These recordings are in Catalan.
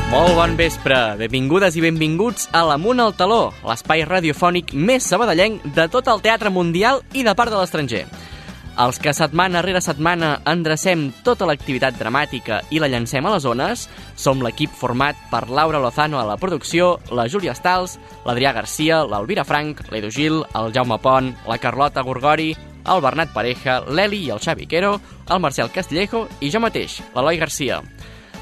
Molt bon vespre, benvingudes i benvinguts a l'Amunt al Taló, l'espai radiofònic més sabadellenc de tot el teatre mundial i de part de l'estranger. Els que setmana rere setmana endrecem tota l'activitat dramàtica i la llancem a les zones som l'equip format per Laura Lozano a la producció, la Júlia Stals, l'Adrià Garcia, l'Elvira Frank, l'Edu Gil, el Jaume Pont, la Carlota Gorgori, el Bernat Pareja, l'Eli i el Xavi Quero, el Marcel Castillejo i jo mateix, l'Eloi Garcia.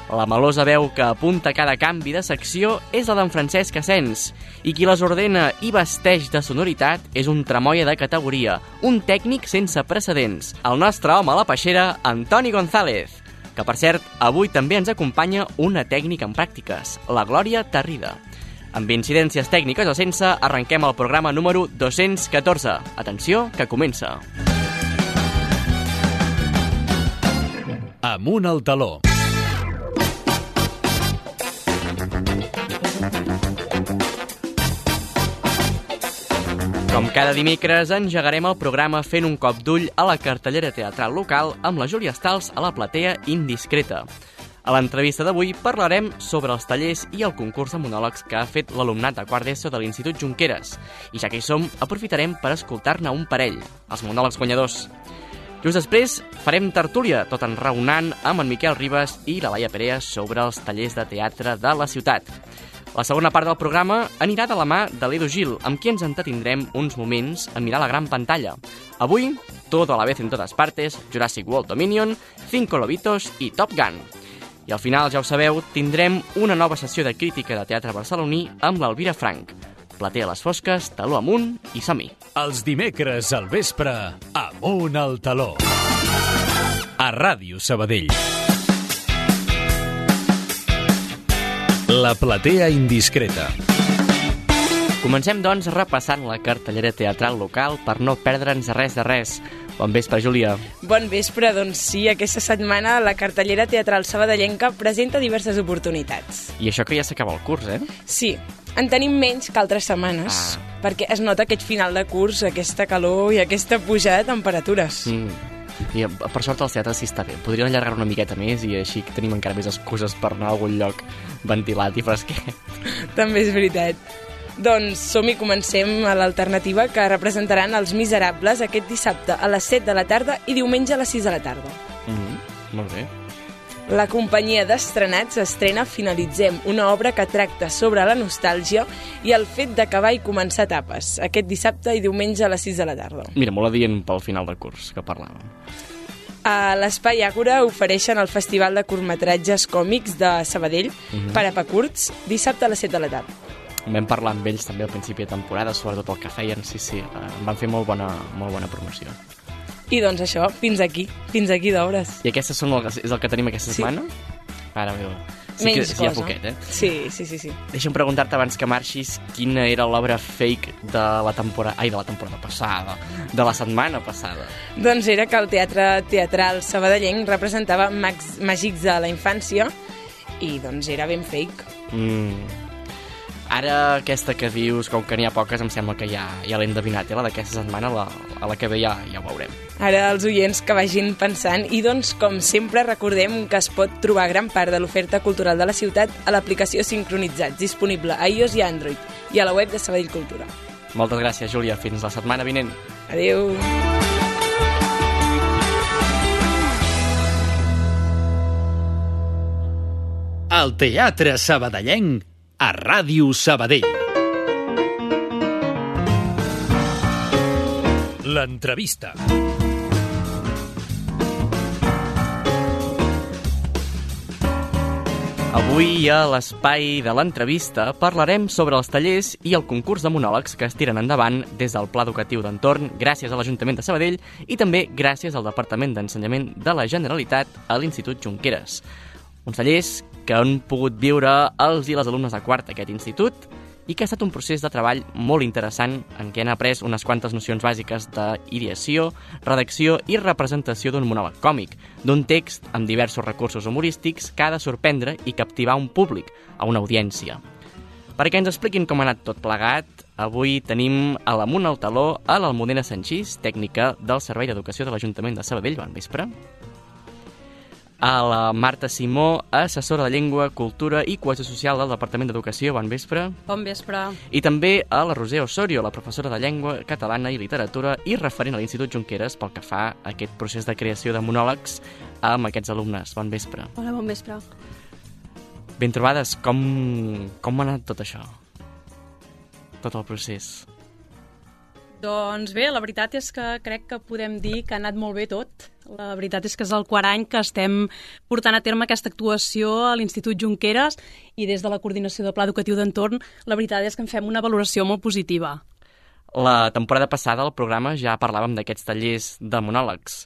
La melosa veu que apunta cada canvi de secció és la d'en Francesc Asens, i qui les ordena i vesteix de sonoritat és un tramoia de categoria, un tècnic sense precedents, el nostre home a la peixera, Antoni González, que per cert, avui també ens acompanya una tècnica en pràctiques, la Glòria Tarrida. Amb incidències tècniques o sense, arrenquem el programa número 214. Atenció, que comença. Amunt al taló. Com cada dimecres, engegarem el programa fent un cop d'ull a la cartellera teatral local amb la Júlia Stals a la platea Indiscreta. A l'entrevista d'avui parlarem sobre els tallers i el concurs de monòlegs que ha fet l'alumnat de quart d'ESO de l'Institut Junqueras. I ja que hi som, aprofitarem per escoltar-ne un parell, els monòlegs guanyadors. Just després farem tertúlia, tot enraonant amb en Miquel Ribas i la Laia Perea sobre els tallers de teatre de la ciutat. La segona part del programa anirà de la mà de l'Edu Gil, amb qui ens entretindrem uns moments a mirar la gran pantalla. Avui, Todo a la vez en todas partes, Jurassic World Dominion, Cinco Lobitos i Top Gun. I al final, ja ho sabeu, tindrem una nova sessió de crítica de teatre barceloní amb l'Elvira Frank. Platea a les fosques, taló amunt i som-hi. Els dimecres al vespre, Amunt al taló. A Ràdio Sabadell. La platea Indiscreta. Comencem, doncs, repassant la cartellera teatral local per no perdre'ns res de res. Bon vespre, Júlia. Bon vespre, doncs sí, aquesta setmana la cartellera teatral sabadellenca presenta diverses oportunitats. I això que ja s'acaba el curs, eh? Sí, en tenim menys que altres setmanes, perquè es nota aquest final de curs, aquesta calor i aquesta pujada de temperatures. I per sort el teatre sí està bé. Podrien allargar una miqueta més i així tenim encara més excuses per anar a algun lloc ventilat i fresquet. També és veritat. Doncs som-hi, comencem a l'alternativa que representaran Els Miserables aquest dissabte a les 7 de la tarda i diumenge a les 6 de la tarda. Molt bé. La companyia d'estrenats estrena Finalitzem, una obra que tracta sobre la nostàlgia i el fet d'acabar i començar etapes, aquest dissabte i diumenge a les 6 de la tarda. Mira, molt adient pel final de curs que parlàvem. A l'Espai Àgora ofereixen el Festival de Curtmetratges Còmics de Sabadell per a curts, dissabte a les 7 de la tarda. Vam parlar amb ells també al principi de temporada, sobretot el que feien, sí, van fer molt bona promoció. I doncs això, fins aquí d'obres. I aquestes són és el que tenim aquesta setmana? Ara, meva. Sí que hi ha poquet, eh? Sí. Deixa'm preguntar-te abans que marxis quina era l'obra fake de la temporada passada, de la setmana passada. Doncs era que el teatre teatral sabadellenc representava màgics de la infància i doncs era ben fake. Ara aquesta que dius, com que n'hi ha poques, em sembla que ja l'he endevinat, la d'aquesta setmana, a la que ve ja ho veurem. Ara els oients que vagin pensant i doncs, com sempre, recordem que es pot trobar gran part de l'oferta cultural de la ciutat a l'aplicació Sincronitzats, disponible a iOS i Android, i a la web de Sabadell Cultura. Moltes gràcies, Júlia. Fins la setmana vinent. Adéu. El teatre sabadellenc a Ràdio Sabadell. L'entrevista. Avui a l'espai de l'entrevista parlarem sobre els tallers i el concurs de monòlegs que es tiren endavant des del Pla Educatiu d'Entorn gràcies a l'Ajuntament de Sabadell i també gràcies al Departament d'Ensenyament de la Generalitat a l'Institut Junqueras. Uns tallers que han pogut viure els i les alumnes de quart d'aquest institut i que ha estat un procés de treball molt interessant en què han après unes quantes nocions bàsiques d'ideació, redacció i representació d'un monòleg còmic, d'un text amb diversos recursos humorístics que ha de sorprendre i captivar un públic, a una audiència. Perquè ens expliquin com ha anat tot plegat, avui tenim a l'Amunt al Taló a l'Almudena Sanchís, tècnica del Servei d'Educació de l'Ajuntament de Sabadell. Bon vespre. A la Marta Simó, assessora de Llengua, Cultura i Cohesió Social del Departament d'Educació. Bon vespre. Bon vespre. I també a la Roser Osorio, la professora de Llengua Catalana i Literatura i referent a l'Institut Junqueras pel que fa a aquest procés de creació de monòlegs amb aquests alumnes. Bon vespre. Hola, bon vespre. Ben trobades, com ha anat tot això? Tot el procés. Doncs bé, la veritat és que crec que podem dir que ha anat molt bé tot. La veritat és que és el quart any que estem portant a terme aquesta actuació a l'Institut Junqueras i des de la coordinació del Pla Educatiu d'Entorn la veritat és que en fem una valoració molt positiva. La temporada passada al programa ja parlàvem d'aquests tallers de monòlegs.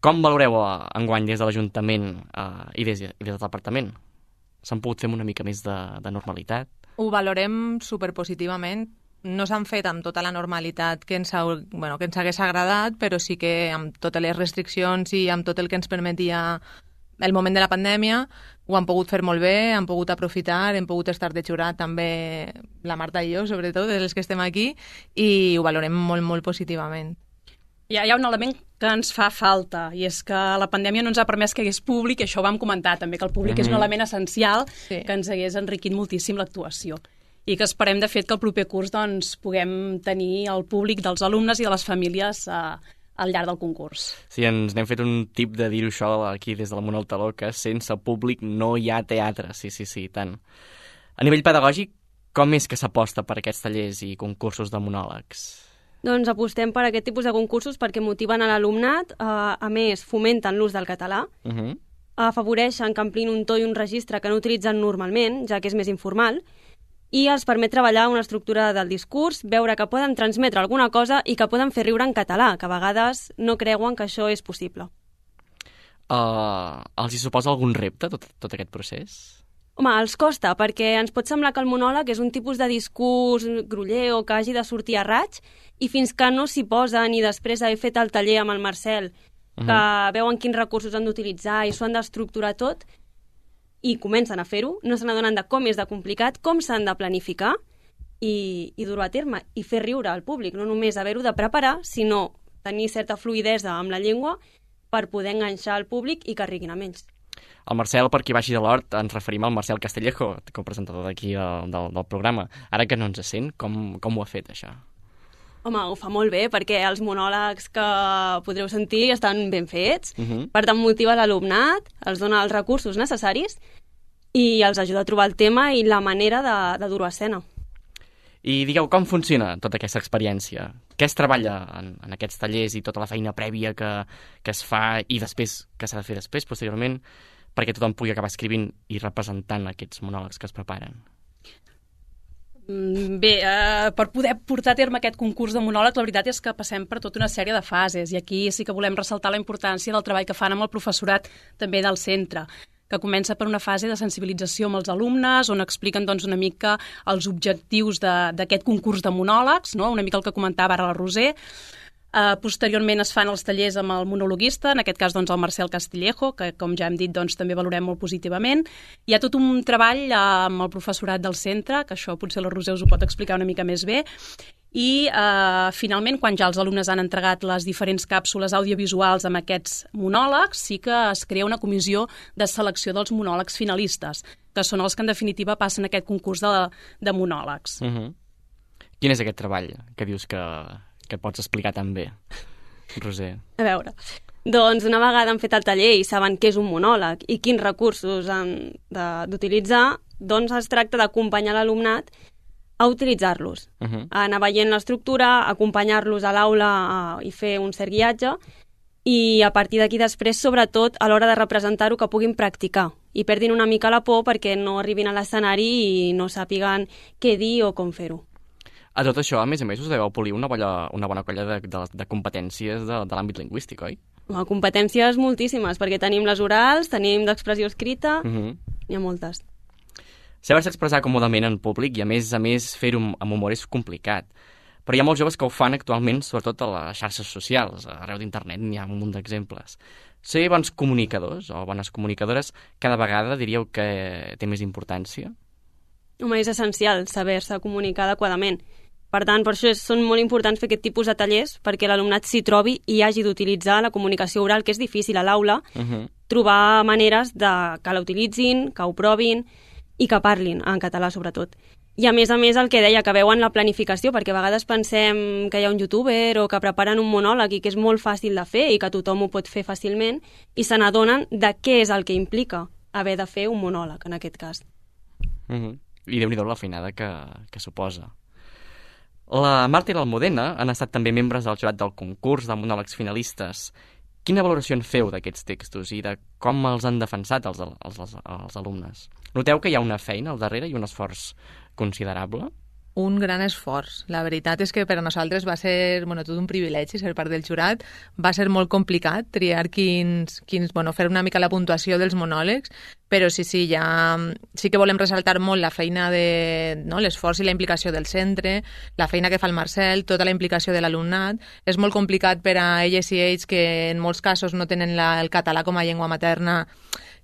Com valoreu enguany des de l'Ajuntament i des del Departament? S'han pogut fer una mica més de normalitat? Ho valorem superpositivament. No s'han fet amb tota la normalitat que ens hagués agradat, però sí que amb totes les restriccions i amb tot el que ens permetia el moment de la pandèmia ho han pogut fer molt bé, han pogut aprofitar, hem pogut estar de jurat també la Marta i jo, sobretot, els que estem aquí, i ho valorem molt, molt positivament. Hi ha un element que ens fa falta, i és que la pandèmia no ens ha permès que hi hagués públic, i això ho vam comentar també, que el públic és un element essencial que ens hagués enriquit moltíssim l'actuació. I que esperem, de fet, que el proper curs puguem tenir el públic dels alumnes i de les famílies al llarg del concurs. Sí, ens n'hem fet un tip de dir-ho això aquí des de la Mona al Taló, que sense públic no hi ha teatre, sí, tant. A nivell pedagògic, com és que s'aposta per aquests tallers i concursos de monòlegs? Doncs apostem per aquest tipus de concursos perquè motiven a l'alumnat, a més fomenten l'ús del català, afavoreixen que amplin un to i un registre que no utilitzen normalment, ja que és més informal, i els permet treballar una estructura del discurs, veure que poden transmetre alguna cosa i que poden fer riure en català, que a vegades no creuen que això és possible. Els hi suposa algun repte, tot aquest procés? Home, els costa, perquè ens pot semblar que el monòleg és un tipus de discurs groller o que hagi de sortir a raig, i fins que no s'hi posen i després haver fet el taller amb el Marcel, que veuen quins recursos han d'utilitzar i s'ho han d'estructurar tot, i comencen a fer-ho, no se n'adonen de com és de complicat, com s'han de planificar i dur-ho a terme i fer riure al públic, no només haver-ho de preparar, sinó tenir certa fluïdesa amb la llengua per poder enganxar el públic i que riguin amb ells. El Marcel, per qui baixi de l'hort, ens referim al Marcel Castillejo, copresentador d'aquí del programa. Ara que no ens sent, com ho ha fet, això? Home, ho fa molt bé, perquè els monòlegs que podreu sentir estan ben fets, per tant motiva l'alumnat, els dona els recursos necessaris i els ajuda a trobar el tema i la manera de dur-ho a escena. I digueu, com funciona tota aquesta experiència? Què es treballa en aquests tallers i tota la feina prèvia que es fa i després, que s'ha de fer després, posteriorment, perquè tothom pugui acabar escrivint i representant aquests monòlegs que es preparen? Bé, per poder portar a terme aquest concurs de monòlegs, la veritat és que passem per tota una sèrie de fases, i aquí sí que volem ressaltar la importància del treball que fan amb el professorat també del centre, que comença per una fase de sensibilització amb els alumnes, on expliquen una mica els objectius d'aquest concurs de monòlegs, no? Una mica el que comentava ara la Roser. Posteriorment es fan els tallers amb el monologuista, en aquest cas el Marcel Castillejo, que com ja hem dit també valorem molt positivament. Hi ha tot un treball amb el professorat del centre, que això potser la Roser us ho pot explicar una mica més bé, i finalment, quan ja els alumnes han entregat les diferents càpsules audiovisuals amb aquests monòlegs, sí que es crea una comissió de selecció dels monòlegs finalistes, que són els que en definitiva passen aquest concurs de monòlegs. Quin és aquest treball que dius que pots explicar tan bé, Roser? A veure, doncs una vegada han fet el taller i saben què és un monòleg i quins recursos han d'utilitzar, doncs es tracta d'acompanyar l'alumnat a utilitzar-los, a anar veient l'estructura, acompanyar-los a l'aula i fer un cert guiatge, i a partir d'aquí després, sobretot, a l'hora de representar-ho, que puguin practicar i perdin una mica la por perquè no arribin a l'escenari i no sàpiguen què dir o com fer-ho. A tot això, a més, us deveu polir una bona colla de competències de l'àmbit lingüístic, oi? Competències moltíssimes, perquè tenim les orals, tenim d'expressió escrita, n'hi ha moltes. Saber-se expressar còmodament en públic i, a més fer-ho amb humor és complicat. Però hi ha molts joves que ho fan actualment, sobretot a les xarxes socials. Arreu d'internet n'hi ha un munt d'exemples. Ser bons comunicadors o bones comunicadores cada vegada diríeu que té més importància? Home, és essencial saber-se comunicar adequadament. Per tant, per això són molt importants fer aquest tipus de tallers, perquè l'alumnat s'hi trobi i hagi d'utilitzar la comunicació oral, que és difícil a l'aula, trobar maneres que la utilitzin, que ho provin i que parlin en català, sobretot. I a més el que deia, que veuen la planificació, perquè a vegades pensem que hi ha un youtuber o que preparen un monòleg i que és molt fàcil de fer i que tothom ho pot fer fàcilment i se n'adonen de què és el que implica haver de fer un monòleg, en aquest cas. I Déu-n'hi-do la feinada que suposa. La Marta i l'Almudena han estat també membres del jurat del concurs de monòlegs finalistes. Quina valoració en feu d'aquests textos i de com els han defensat els alumnes? Noteu que hi ha una feina al darrere i un esforç considerable? Un gran esforç. La veritat és que per a nosaltres va ser tot un privilegi ser part del jurat. Va ser molt complicat triar fer una mica la puntuació dels monòlegs, però sí que volem ressaltar molt la feina l'esforç i la implicació del centre, la feina que fa el Marcel, tota la implicació de l'alumnat. És molt complicat per a elles i ells, que en molts casos no tenen el català com a llengua materna,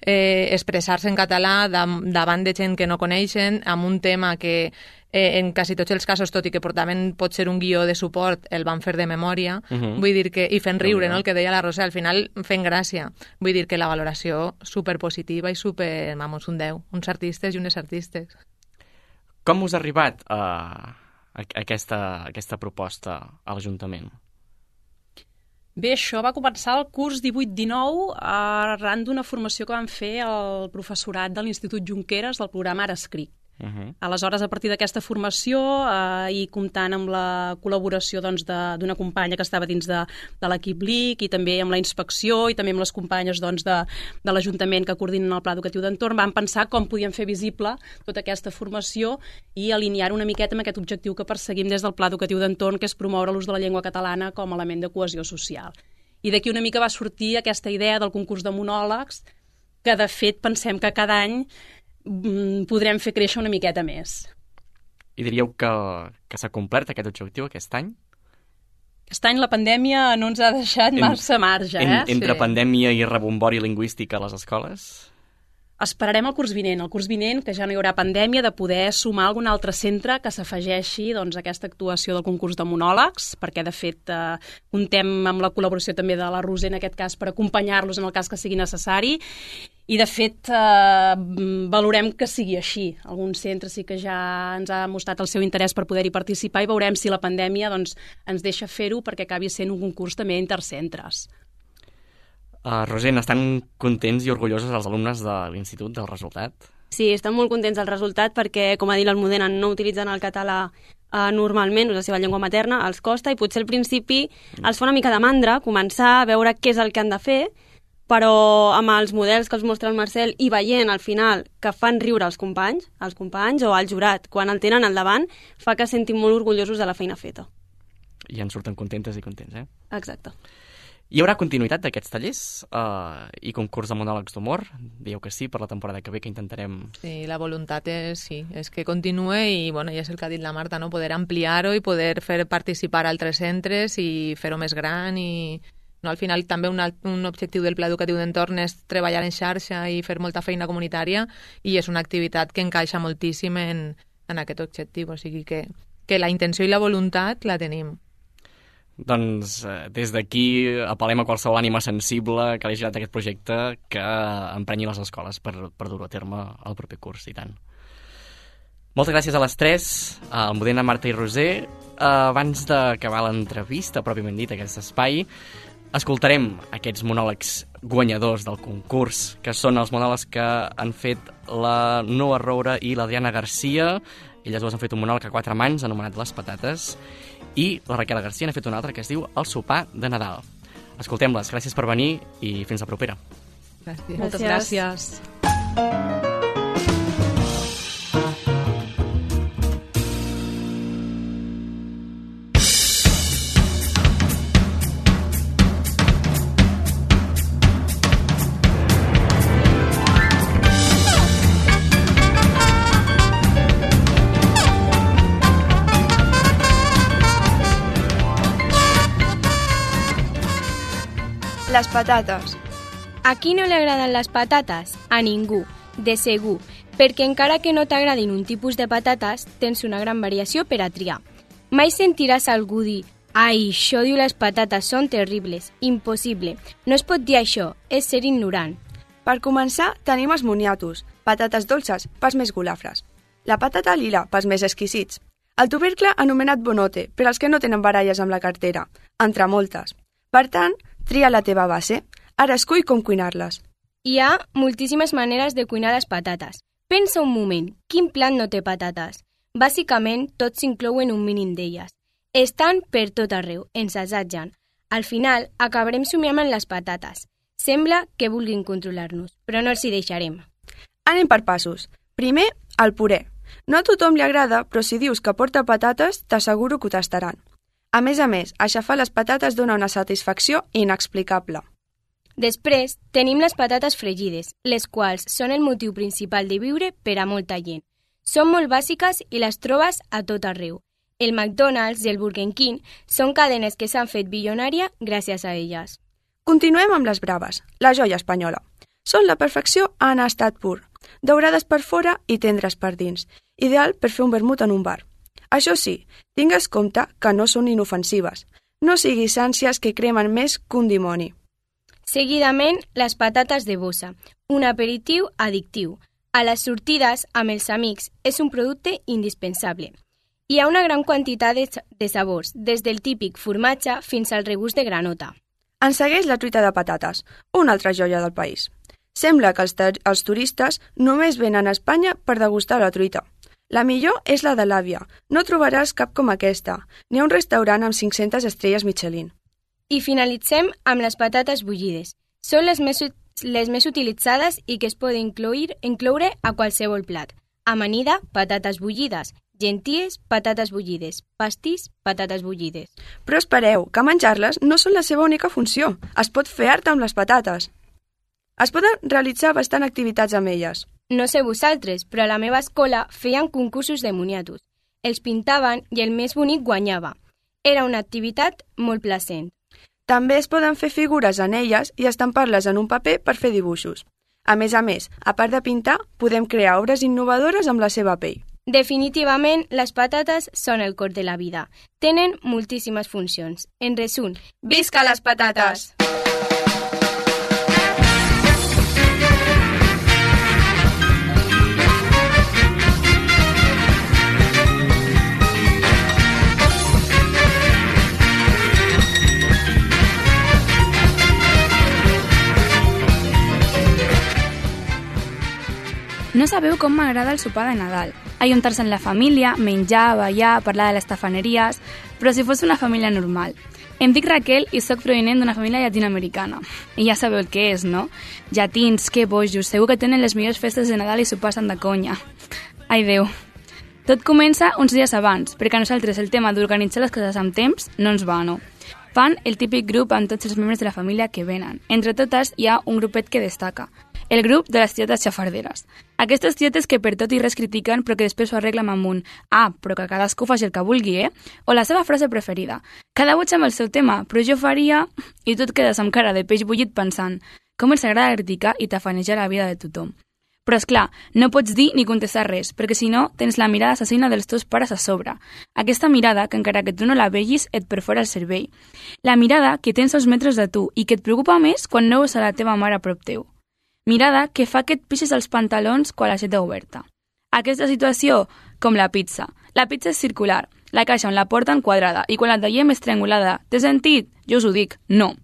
expressar-se en català davant de gent que no coneixen, amb un tema que en quasi tots els casos, tot i que portaven potser un guió de suport, el van fer de memòria, vull dir que, i fent riure, no? El que deia la Rosa, al final fent gràcia. Vull dir que la valoració superpositiva i un 10, uns artistes i unes artistes. Com us ha arribat aquesta proposta a l'Ajuntament? Bé, això va començar el curs 18-19 arran d'una formació que van fer el professorat de l'Institut Junqueras del programa Ara Escric. Aleshores, a partir d'aquesta formació i comptant amb la col·laboració d'una companya que estava dins de l'equip LIC i també amb la inspecció i també amb les companyes de l'Ajuntament que coordinen el Pla Educatiu d'Entorn, van pensar com podíem fer visible tota aquesta formació i alinear una miqueta amb aquest objectiu que perseguim des del Pla Educatiu d'Entorn, que és promoure l'ús de la llengua catalana com a element de cohesió social. I d'aquí una mica va sortir aquesta idea del concurs de monòlegs, que de fet pensem que cada any podrem fer créixer una miqueta més. I diríeu que s'ha complert aquest objectiu aquest any? Aquest any la pandèmia no ens ha deixat massa marge, Entre pandèmia i rebombori lingüístic a les escoles? Esperarem el curs vinent, que ja no hi haurà pandèmia, de poder sumar algun altre centre que s'afegeixi a aquesta actuació del concurs de monòlegs, perquè de fet comptem amb la col·laboració també de la Roser en aquest cas per acompanyar-los en el cas que sigui necessari. I, de fet, valorem que sigui així. Algun centre sí que ja ens ha mostrat el seu interès per poder-hi participar i veurem si la pandèmia ens deixa fer-ho perquè acabi sent un concurs també intercentres. Roser, estan contents i orgullosos els alumnes de l'institut del resultat? Sí, estan molt contents del resultat perquè, com ha dit l'Almudena, no utilitzen el català normalment, és la seva llengua materna, els costa i potser al principi els fa una mica de mandra començar a veure què és el que han de fer, però amb els models que els mostra el Marcel i veient al final que fan riure els companys o el jurat, quan el tenen al davant, fa que sentin molt orgullosos de la feina feta. I en surten contentes i contents, Exacte. Hi haurà continuïtat d'aquests tallers i concurs de monòlegs d'humor? Dieu que sí, per la temporada que ve, que intentarem... Sí, la voluntat és que continuï i ja és el que ha dit la Marta, no? Poder ampliar-ho i poder fer participar altres centres i fer-ho més gran i... Al final també un objectiu del Pla Educatiu d'Entorn és treballar en xarxa i fer molta feina comunitària i és una activitat que encaixa moltíssim en aquest objectiu, o sigui que la intenció i la voluntat la tenim. Doncs des d'aquí apel·lem a qualsevol ànima sensible que hagi girat aquest projecte que emprenyi les escoles per dur-ho a terme el proper curs, i tant. Moltes gràcies a les tres, a Almudena, Marta i Roser. Abans d'acabar l'entrevista, pròpiament dit, aquest espai, escoltarem aquests monòlegs guanyadors del concurs, que són els monòlegs que han fet la Noa Roura i l'Adriana Garcia. Elles dues han fet un monòleg a 4 mans anomenat Les Patates, i la Raquel Garcia n'ha fet un altre que es diu El sopar de Nadal. Escoltem-les, gràcies per venir i fins la propera. Gràcies. Moltes gràcies. Les patates. A qui no li agraden les patates? A ningú, de segur, perquè encara que no t'agradin un tipus de patates, tens una gran variació per a triar. Mai sentiràs algú dir «Ai, això diu les patates són terribles, impossible, no es pot dir això, és ser ignorant». Per començar, tenim els moniatos, patates dolces, pels més golafres. La patata lila, pels més exquisits. El tubercle anomenat bonote, per als que no tenen baralles amb la cartera, entre moltes. Per tant, tria la teva base. Ara escull com cuinar-les. Hi ha moltíssimes maneres de cuinar les patates. Pensa un moment, quin plat no té patates? Bàsicament, tots s'inclouen un mínim d'elles. Estan per tot arreu, ens assatgen. Al final, acabarem somiant amb les patates. Sembla que vulguin controlar-nos, però no els hi deixarem. Anem per passos. Primer, el puré. No a tothom li agrada, però si dius que porta patates, t'asseguro que ho tastaran. A més, aixafar les patates dona una satisfacció inexplicable. Després, tenim les patates fregides, les quals són el motiu principal de viure per a molta gent. Són molt bàsiques i les trobes a tot arreu. El McDonald's i el Burger King són cadenes que s'han fet bilionària gràcies a elles. Continuem amb les braves, la joia espanyola. Són la perfecció en estat pur, daurades per fora i tendres per dins, ideal per fer un vermut en un bar. Això sí, tingues compte que no són inofensives. No siguis ànsies que cremen més que un dimoni. Seguidament, les patates de bossa, un aperitiu addictiu. A les sortides, amb els amics, és un producte indispensable. Hi ha una gran quantitat de sabors, des del típic formatge fins al regust de granota. En segueix la truita de patates, una altra joia del país. Sembla que els turistes només venen a Espanya per degustar la truita. La millor és la de l'àvia. No trobaràs cap com aquesta. N'hi ha un restaurant amb 500 estrelles Michelin. I finalitzem amb les patates bullides. Són les més utilitzades i que es poden incloure a qualsevol plat. Amanida, patates bullides. Genties, patates bullides. Pastís, patates bullides. Però espereu, que menjar-les no són la seva única funció. Es pot fer art amb les patates. Es poden realitzar bastant activitats amb elles. No sé vosaltres, però a la meva escola feien concursos de moniatos. Els pintaven i el més bonic guanyava. Era una activitat molt placent. També es poden fer figures en elles i estampar-les en un paper per fer dibuixos. A més, a part de pintar, podem crear obres innovadores amb la seva pell. Definitivament, les patates són el cor de la vida. Tenen moltíssimes funcions. En resum, visca les patates! No sabeu com m'agrada el sopar de Nadal. Ajuntar-se en la família, menjar, ballar, parlar de les tafaneries, però si fos una família normal. Em dic Raquel i sóc provinent d'una família llatinoamericana. I ja sabeu el que és, no? Llatins, que bojos, segur que tenen les millors festes de Nadal i sopassen de conya. Ai, Déu. Tot comença uns dies abans, perquè a nosaltres el tema d'organitzar les coses amb temps no ens va, no? Fan el típic grup amb tots els membres de la família que venen. Entre totes hi ha un grupet que destaca, el grup de les tietes xafarderes. Aquestes tietes que per tot i res critiquen però que després ho arreglen amb un però que cadascú faci el que vulgui, O la seva frase preferida. Cada boig amb el seu tema, però jo faria... I tu et quedes amb cara de peix bullit pensant com els agrada criticar i tafanejar la vida de tothom. Però, esclar, no pots dir ni contestar res, perquè si no, tens la mirada assassina dels teus pares a sobre. Aquesta mirada, que encara que tu no la vegis, et perfora el cervell. La mirada que tens a uns metres de tu i que et preocupa més quan no veus a la teva mare a prop teu. Mirada que fa que et pixis els pantalons quan la xeta oberta. Aquesta situació, com la pizza. La pizza és circular, la caixa on la porten quadrada i quan la tallem és triangulada. Té sentit? Jo us ho dic, no.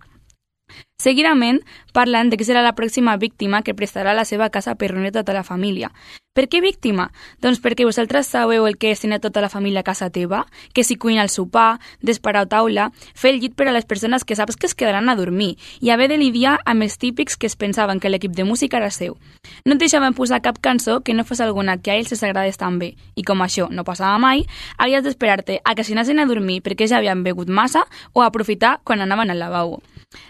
Seguidament, parlen de qui serà la pròxima víctima que prestarà la seva casa per reunir tota la família. Per què víctima? Doncs perquè vosaltres sabeu el que és tenir tota la família a casa teva, que si cuina el sopar, desparar taula, fer el llit per a les persones que saps que es quedaran a dormir i haver de lidiar amb els típics que es pensaven que l'equip de música era seu. No et deixaven posar cap cançó que no fos alguna que a ells els agradés tan bé i com això no passava mai, havies d'esperar-te a que s'anessin a dormir perquè ja havien begut massa o a aprofitar quan anaven al lavabo.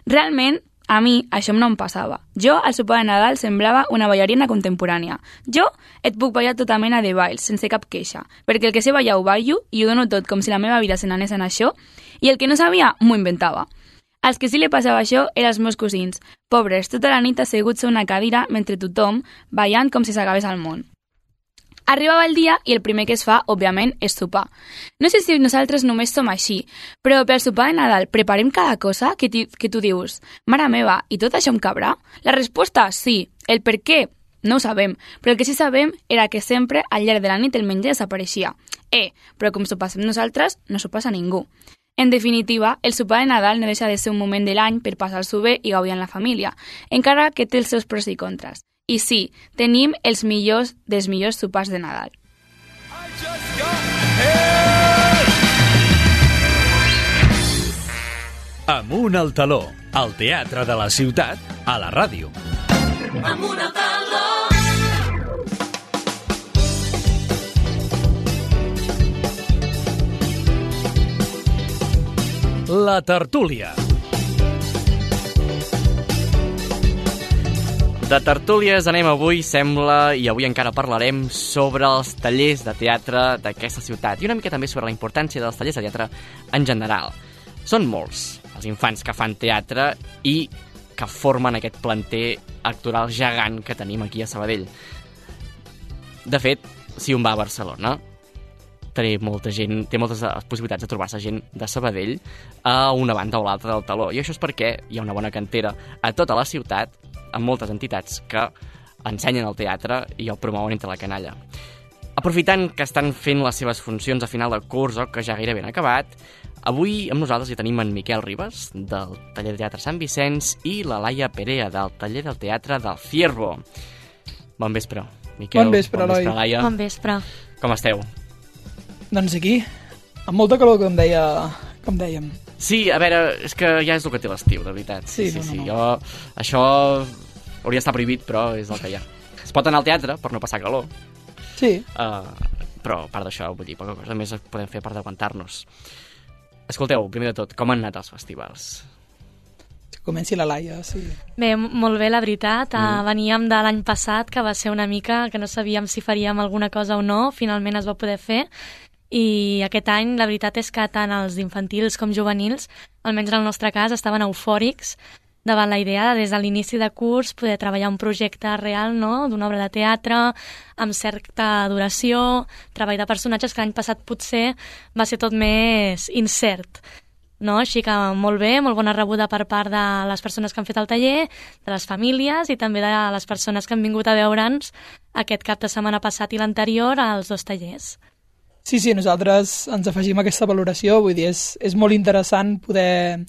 Realment, a mi això no em passava. Jo, al sopar de Nadal, semblava una ballarina contemporània. Jo et puc ballar tota mena de balls, sense cap queixa, perquè el que sé ballar ho ballo i ho dono tot com si la meva vida se n'anés en això, i el que no sabia, m'ho inventava. Als que sí li passava això eren els meus cosins, pobres, tota la nit asseguts a una cadira mentre tothom ballant com si s'acabés el món. Arribava el dia i el primer que es fa, òbviament, és sopar. No sé si nosaltres només som així, però pel sopar de Nadal preparem cada cosa que tu dius «Mare meva, i tot això em cabrà?» La resposta, sí. El per què? No ho sabem, però el que sí sabem era que sempre al llarg de la nit el menjar desapareixia. Però com s'ho passem nosaltres, no s'ho passa ningú. En definitiva, el sopar de Nadal no deixa de ser un moment de l'any per passar-s'ho bé i gaudir amb la família, encara que té els seus pros i contres. I sí, tenim els millors dels millors sopars de Nadal. Amunt al taló, al teatre de la ciutat, a la ràdio. Amunt al taló. La tertúlia. De tertúlies anem avui, sembla, i avui encara parlarem sobre els tallers de teatre d'aquesta ciutat i una mica també sobre la importància dels tallers de teatre en general. Són molts els infants que fan teatre i que formen aquest planter actoral gegant que tenim aquí a Sabadell. De fet, si un va a Barcelona, té moltes possibilitats de trobar-se gent de Sabadell a una banda o l'altra del taló. I això és perquè hi ha una bona cantera a tota la ciutat, amb moltes entitats que ensenyen el teatre i el promouen entre la canalla. Aprofitant que estan fent les seves funcions a final de curs o que ja gairebé han acabat, avui amb nosaltres hi tenim en Miquel Ribas, del taller de teatre Sant Vicenç, i la Laia Perea, del taller del teatre del Ciervo. Bon vespre, Miquel. Bon vespre, Eloi. Bon vespre, Laia. Bon vespre. Com esteu? Doncs aquí, amb molta calor, com dèiem. Sí, a veure, és que ja és el que té l'estiu, de veritat. Sí. Això hauria d'estar prohibit, però és el que hi ha. Es pot anar al teatre per no passar calor. Sí. Però a part d'això, vull dir, poca cosa més podem fer per d'aguantar-nos. Escolteu, primer de tot, com han anat els festivals? Comenci la Laia, sí. Bé, molt bé, la veritat. Veníem de l'any passat, que va ser una mica que no sabíem si faríem alguna cosa o no. Finalment es va poder fer. I aquest any la veritat és que tant els infantils com juvenils, almenys en el nostre cas, estaven eufòrics davant la idea de, des de l'inici de curs, poder treballar un projecte real, no?, d'una obra de teatre, amb certa duració, treball de personatges que l'any passat potser va ser tot més incert. No? Així que molt bé, molt bona rebuda per part de les persones que han fet el taller, de les famílies i també de les persones que han vingut a veure'ns aquest cap de setmana passat i l'anterior als dos tallers. Sí, nosaltres ens afegim a aquesta valoració, vull dir, és molt interessant poder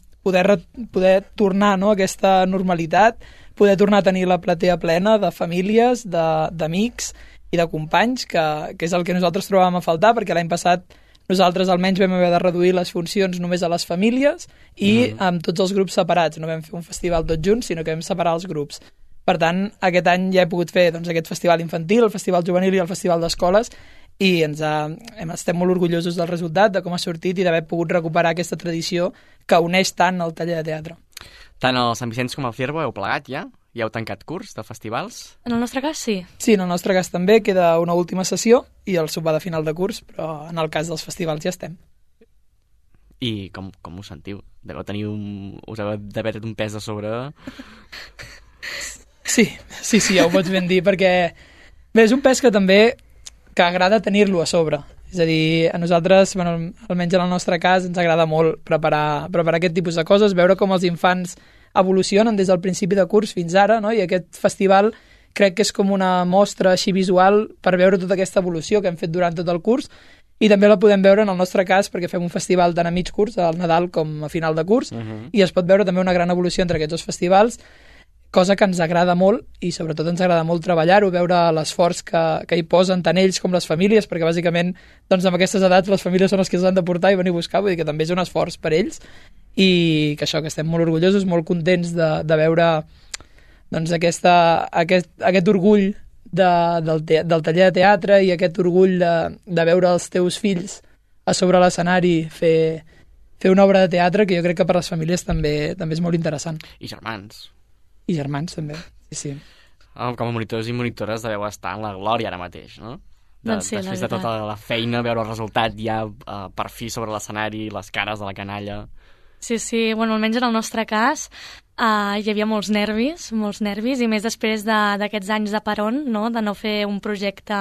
tornar, no?, a aquesta normalitat, poder tornar a tenir la platea plena de famílies, d'amics i de companys, que és el que nosaltres trobàvem a faltar, perquè l'any passat nosaltres almenys vam haver de reduir les funcions només a les famílies i amb tots els grups separats. No vam fer un festival tots junts, sinó que vam separar els grups. Per tant, aquest any ja he pogut fer aquest festival infantil, el festival juvenil i el festival d'escoles, i estem molt orgullosos del resultat, de com ha sortit i d'haver pogut recuperar aquesta tradició que uneix tant el taller de teatre. Tant el Sant Vicenç com el Ciervo heu plegat ja? Ja heu tancat curs de festivals? En el nostre cas, sí. Sí, en el nostre cas també queda una última sessió i el sopar de final de curs, però en el cas dels festivals ja estem. I com us sentiu? Us heu d'haver tret un pes de sobre? Sí, ja ho pots ben dir, perquè bé, és un pes que també que agrada tenir-lo a sobre. És a dir, a nosaltres, almenys en el nostre cas, ens agrada molt preparar aquest tipus de coses, veure com els infants evolucionen des del principi de curs fins ara, no? I aquest festival crec que és com una mostra així visual per veure tota aquesta evolució que hem fet durant tot el curs, i també la podem veure en el nostre cas perquè fem un festival tant a mig curs, al Nadal com a final de curs, i es pot veure també una gran evolució entre aquests dos festivals, cosa que ens agrada molt i sobretot ens agrada molt treballar-ho, veure l'esforç que hi posen tant ells com les famílies, perquè bàsicament doncs, amb aquestes edats les famílies són les que s'han de portar i venir a buscar, vull dir que també és un esforç per ells i que això, que estem molt orgullosos, molt contents de veure doncs, aquest orgull del taller de teatre i aquest orgull de veure els teus fills a sobre l'escenari fer una obra de teatre que jo crec que per les famílies també és molt interessant. I germans. I germans, també, sí. Com a monitors i monitores deveu estar en la glòria ara mateix, no? Doncs sí, després de tota la feina, veure el resultat ja per fi sobre l'escenari, les cares de la canalla. Sí, almenys en el nostre cas hi havia molts nervis, i més després d'aquests anys de peron, no? De no fer un projecte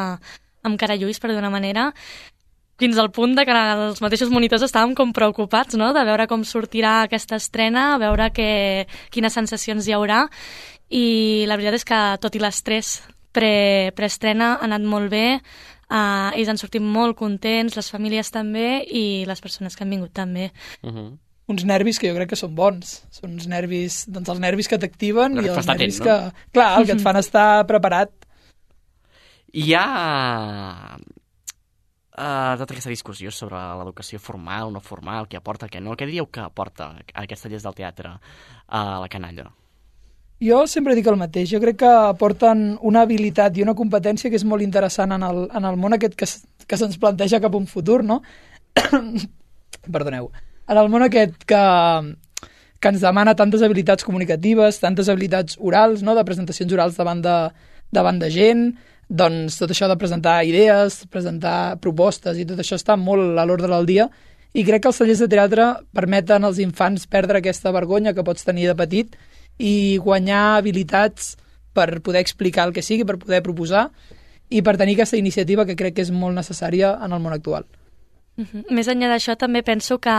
amb carallulls, per d'una manera, fins al punt de que els mateixos monitors estàvem com preocupats, no?, de veure com sortirà aquesta estrena, a veure quines sensacions hi haurà, i la veritat és que tot i l'estrès preestrena ha anat molt bé, ells han sortit molt contents, les famílies també, i les persones que han vingut també. Uns nervis que jo crec que són bons. Són uns nervis, doncs els nervis que t'activen i els nervis que... Clar, el que et fan estar preparat. Hi ha tota aquesta discussió sobre l'educació formal, no formal, què aporta, què no. Què diríeu que aporta aquests tallers del teatre a la canalla? Jo sempre dic el mateix. Jo crec que aporten una habilitat i una competència que és molt interessant en el món aquest que se'ns planteja cap a un futur, no? Perdoneu. En el món aquest que ens demana tantes habilitats comunicatives, tantes habilitats orals, no?, de presentacions orals davant de gent, doncs tot això de presentar idees, presentar propostes i tot això està molt a l'ordre del dia, i crec que els tallers de teatre permeten als infants perdre aquesta vergonya que pots tenir de petit i guanyar habilitats per poder explicar el que sigui, per poder proposar i per tenir aquesta iniciativa que crec que és molt necessària en el món actual. Més enllà d'això, també penso que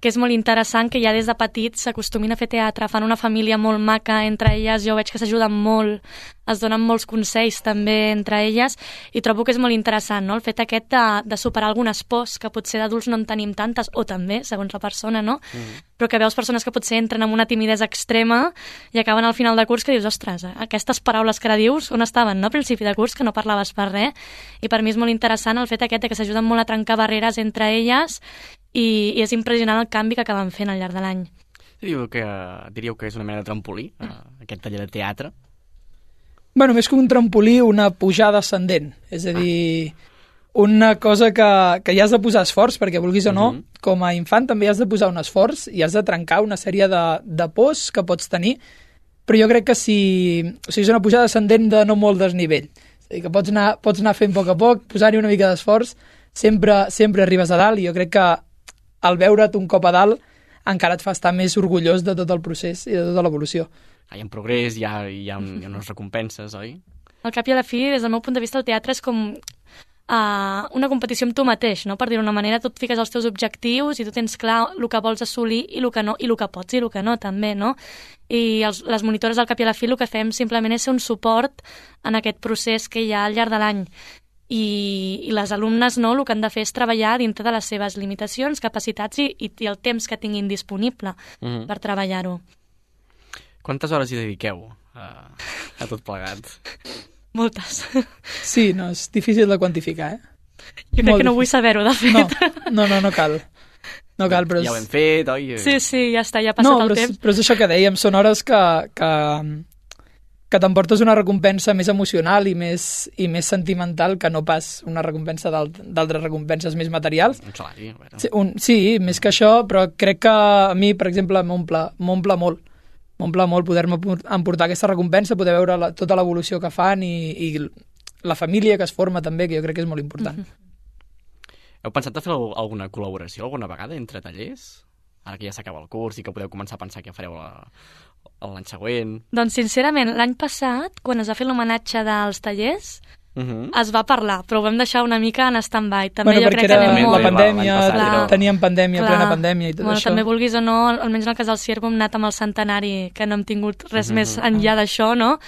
és molt interessant que ja des de petits s'acostumin a fer teatre, fan una família molt maca entre elles, jo veig que s'ajuden molt, es donen molts consells també entre elles, i trobo que és molt interessant, no?, el fet aquest de superar algunes pors, que potser d'adults no en tenim tantes, o també, segons la persona, no? Però que veus persones que potser entren amb una timidesa extrema i acaben al final de curs que dius, ostres, aquestes paraules que ara dius, on estaven, no?, al principi de curs, que no parlaves per res, i per mi és molt interessant el fet aquest de que s'ajuden molt a trencar barreres entre elles, i és impressionant el canvi que acaben fent al llarg de l'any. Diríeu que és una mena de trampolí, aquest taller de teatre? Bueno, més que un trampolí, una pujada ascendent. És a dir, una cosa que hi has de posar esforç, perquè vulguis o no, com a infant també has de posar un esforç i has de trencar una sèrie de pors que pots tenir, però jo crec que és una pujada ascendent de no molt desnivell. És a dir, que pots anar fent a poc, posar-hi una mica d'esforç, sempre arribes a dalt, i jo crec que al veure't un cop a dalt encara et fa estar més orgullós de tot el procés i de tota l'evolució. Hi ha un progrés, hi ha unes recompenses, oi? Al cap i a la fi, des del meu punt de vista, el teatre és com una competició amb tu mateix, no? Per dir-ho d'una manera, tu et fiques els teus objectius i tu tens clar el que vols assolir i el que no, i el que pots i el que no, també, no? I les monitores al cap i a la fi el que fem simplement és ser un suport en aquest procés que hi ha al llarg de l'any. I les alumnes, no, el que han de fer és treballar dintre de les seves limitacions, capacitats i el temps que tinguin disponible per treballar-ho. Quantes hores hi dediqueu a tot plegat? Moltes. Sí, no, és difícil de quantificar, Jo crec que no vull saber-ho, de fet. No cal. No cal, però... Ja ho hem fet, oi? Sí, ja està, ja ha passat el temps. Però és això que dèiem, són hores que t'emportes una recompensa més emocional i més sentimental que no pas una recompensa d'altres recompenses més materials. Un salari, bueno. Sí, més que això, però crec que a mi, per exemple, m'omple molt. M'omple molt poder-me emportar aquesta recompensa, poder veure tota l'evolució que fan i la família que es forma també, que jo crec que és molt important. Heu pensat a fer alguna col·laboració alguna vegada entre tallers? Ara que ja s'acaba el curs i que podeu començar a pensar què fareu l'any següent. Doncs, sincerament, l'any passat, quan es va fer l'homenatge dels tallers, es va parlar, però ho vam deixar una mica en stand-by. També jo crec que anem molt... La pandèmia, teníem pandèmia, plena pandèmia i tot això. També vulguis o no, almenys en el cas del Ciervo hem anat amb el centenari, que no hem tingut res més enllà d'això, no?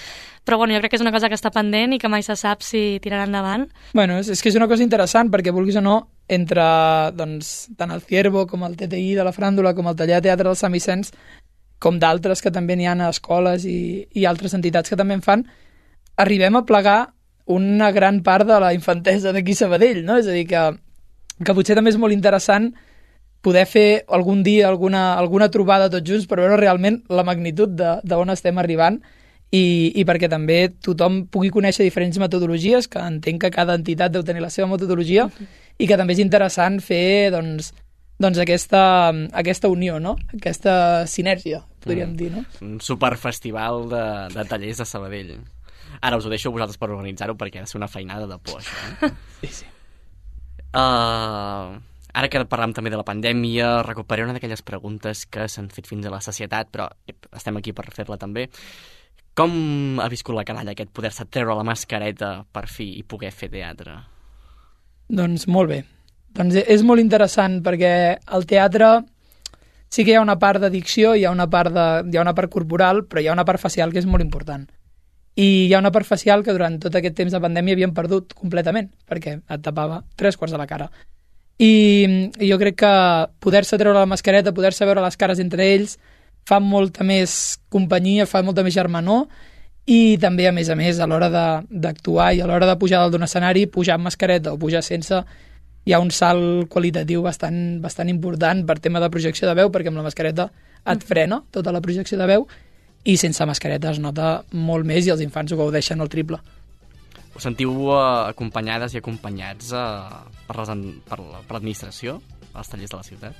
Però jo crec que és una cosa que està pendent i que mai se sap si tirarà endavant. Bueno, és que és una cosa interessant, perquè vulguis o no, entre tant el Ciervo com el TTI de la Fràndula, com el taller de teatre del Sant Vicenç, com d'altres que també n'hi ha a escoles i altres entitats que també en fan, arribem a plegar una gran part de la infantesa d'aquí a Sabadell, no? És a dir, que potser també és molt interessant poder fer algun dia alguna trobada tots junts per veure realment la magnitud d'on estem arribant i perquè també tothom pugui conèixer diferents metodologies, que entenc que cada entitat deu tenir la seva metodologia i que també és interessant fer doncs aquesta unió, no? Aquesta sinèrgia, podríem dir, no? Un superfestival de tallers de Sabadell. Ara us ho deixo a vosaltres per organitzar-ho, perquè ha de ser una feinada de por, això. Sí. Ara que parlam també de la pandèmia, recuperaré una d'aquelles preguntes que s'han fet fins a la sacietat, però estem aquí per fer-la també. Com ha viscut la canalla aquest poder-se treure la mascareta per fi i poder fer teatre? Doncs molt bé. Doncs és molt interessant perquè al teatre sí que hi ha una part de dicció, hi ha una part corporal, però hi ha una part facial que és molt important. I hi ha una part facial que durant tot aquest temps de pandèmia havíem perdut completament, perquè et tapava 3/4 de la cara. I jo crec que poder-se treure la mascareta, poder-se veure les cares entre ells, fa molta més companyia, fa molta més germanor, i també, a més, a l'hora d'actuar i a l'hora de pujar dalt d'un escenari, pujar amb mascareta o pujar sense, hi ha un salt qualitatiu bastant important per tema de projecció de veu, perquè amb la mascareta et frena tota la projecció de veu, i sense mascareta es nota molt més i els infants ho gaudeixen al triple. Us sentiu acompanyades i acompanyats per l'administració, als tallers de la ciutat?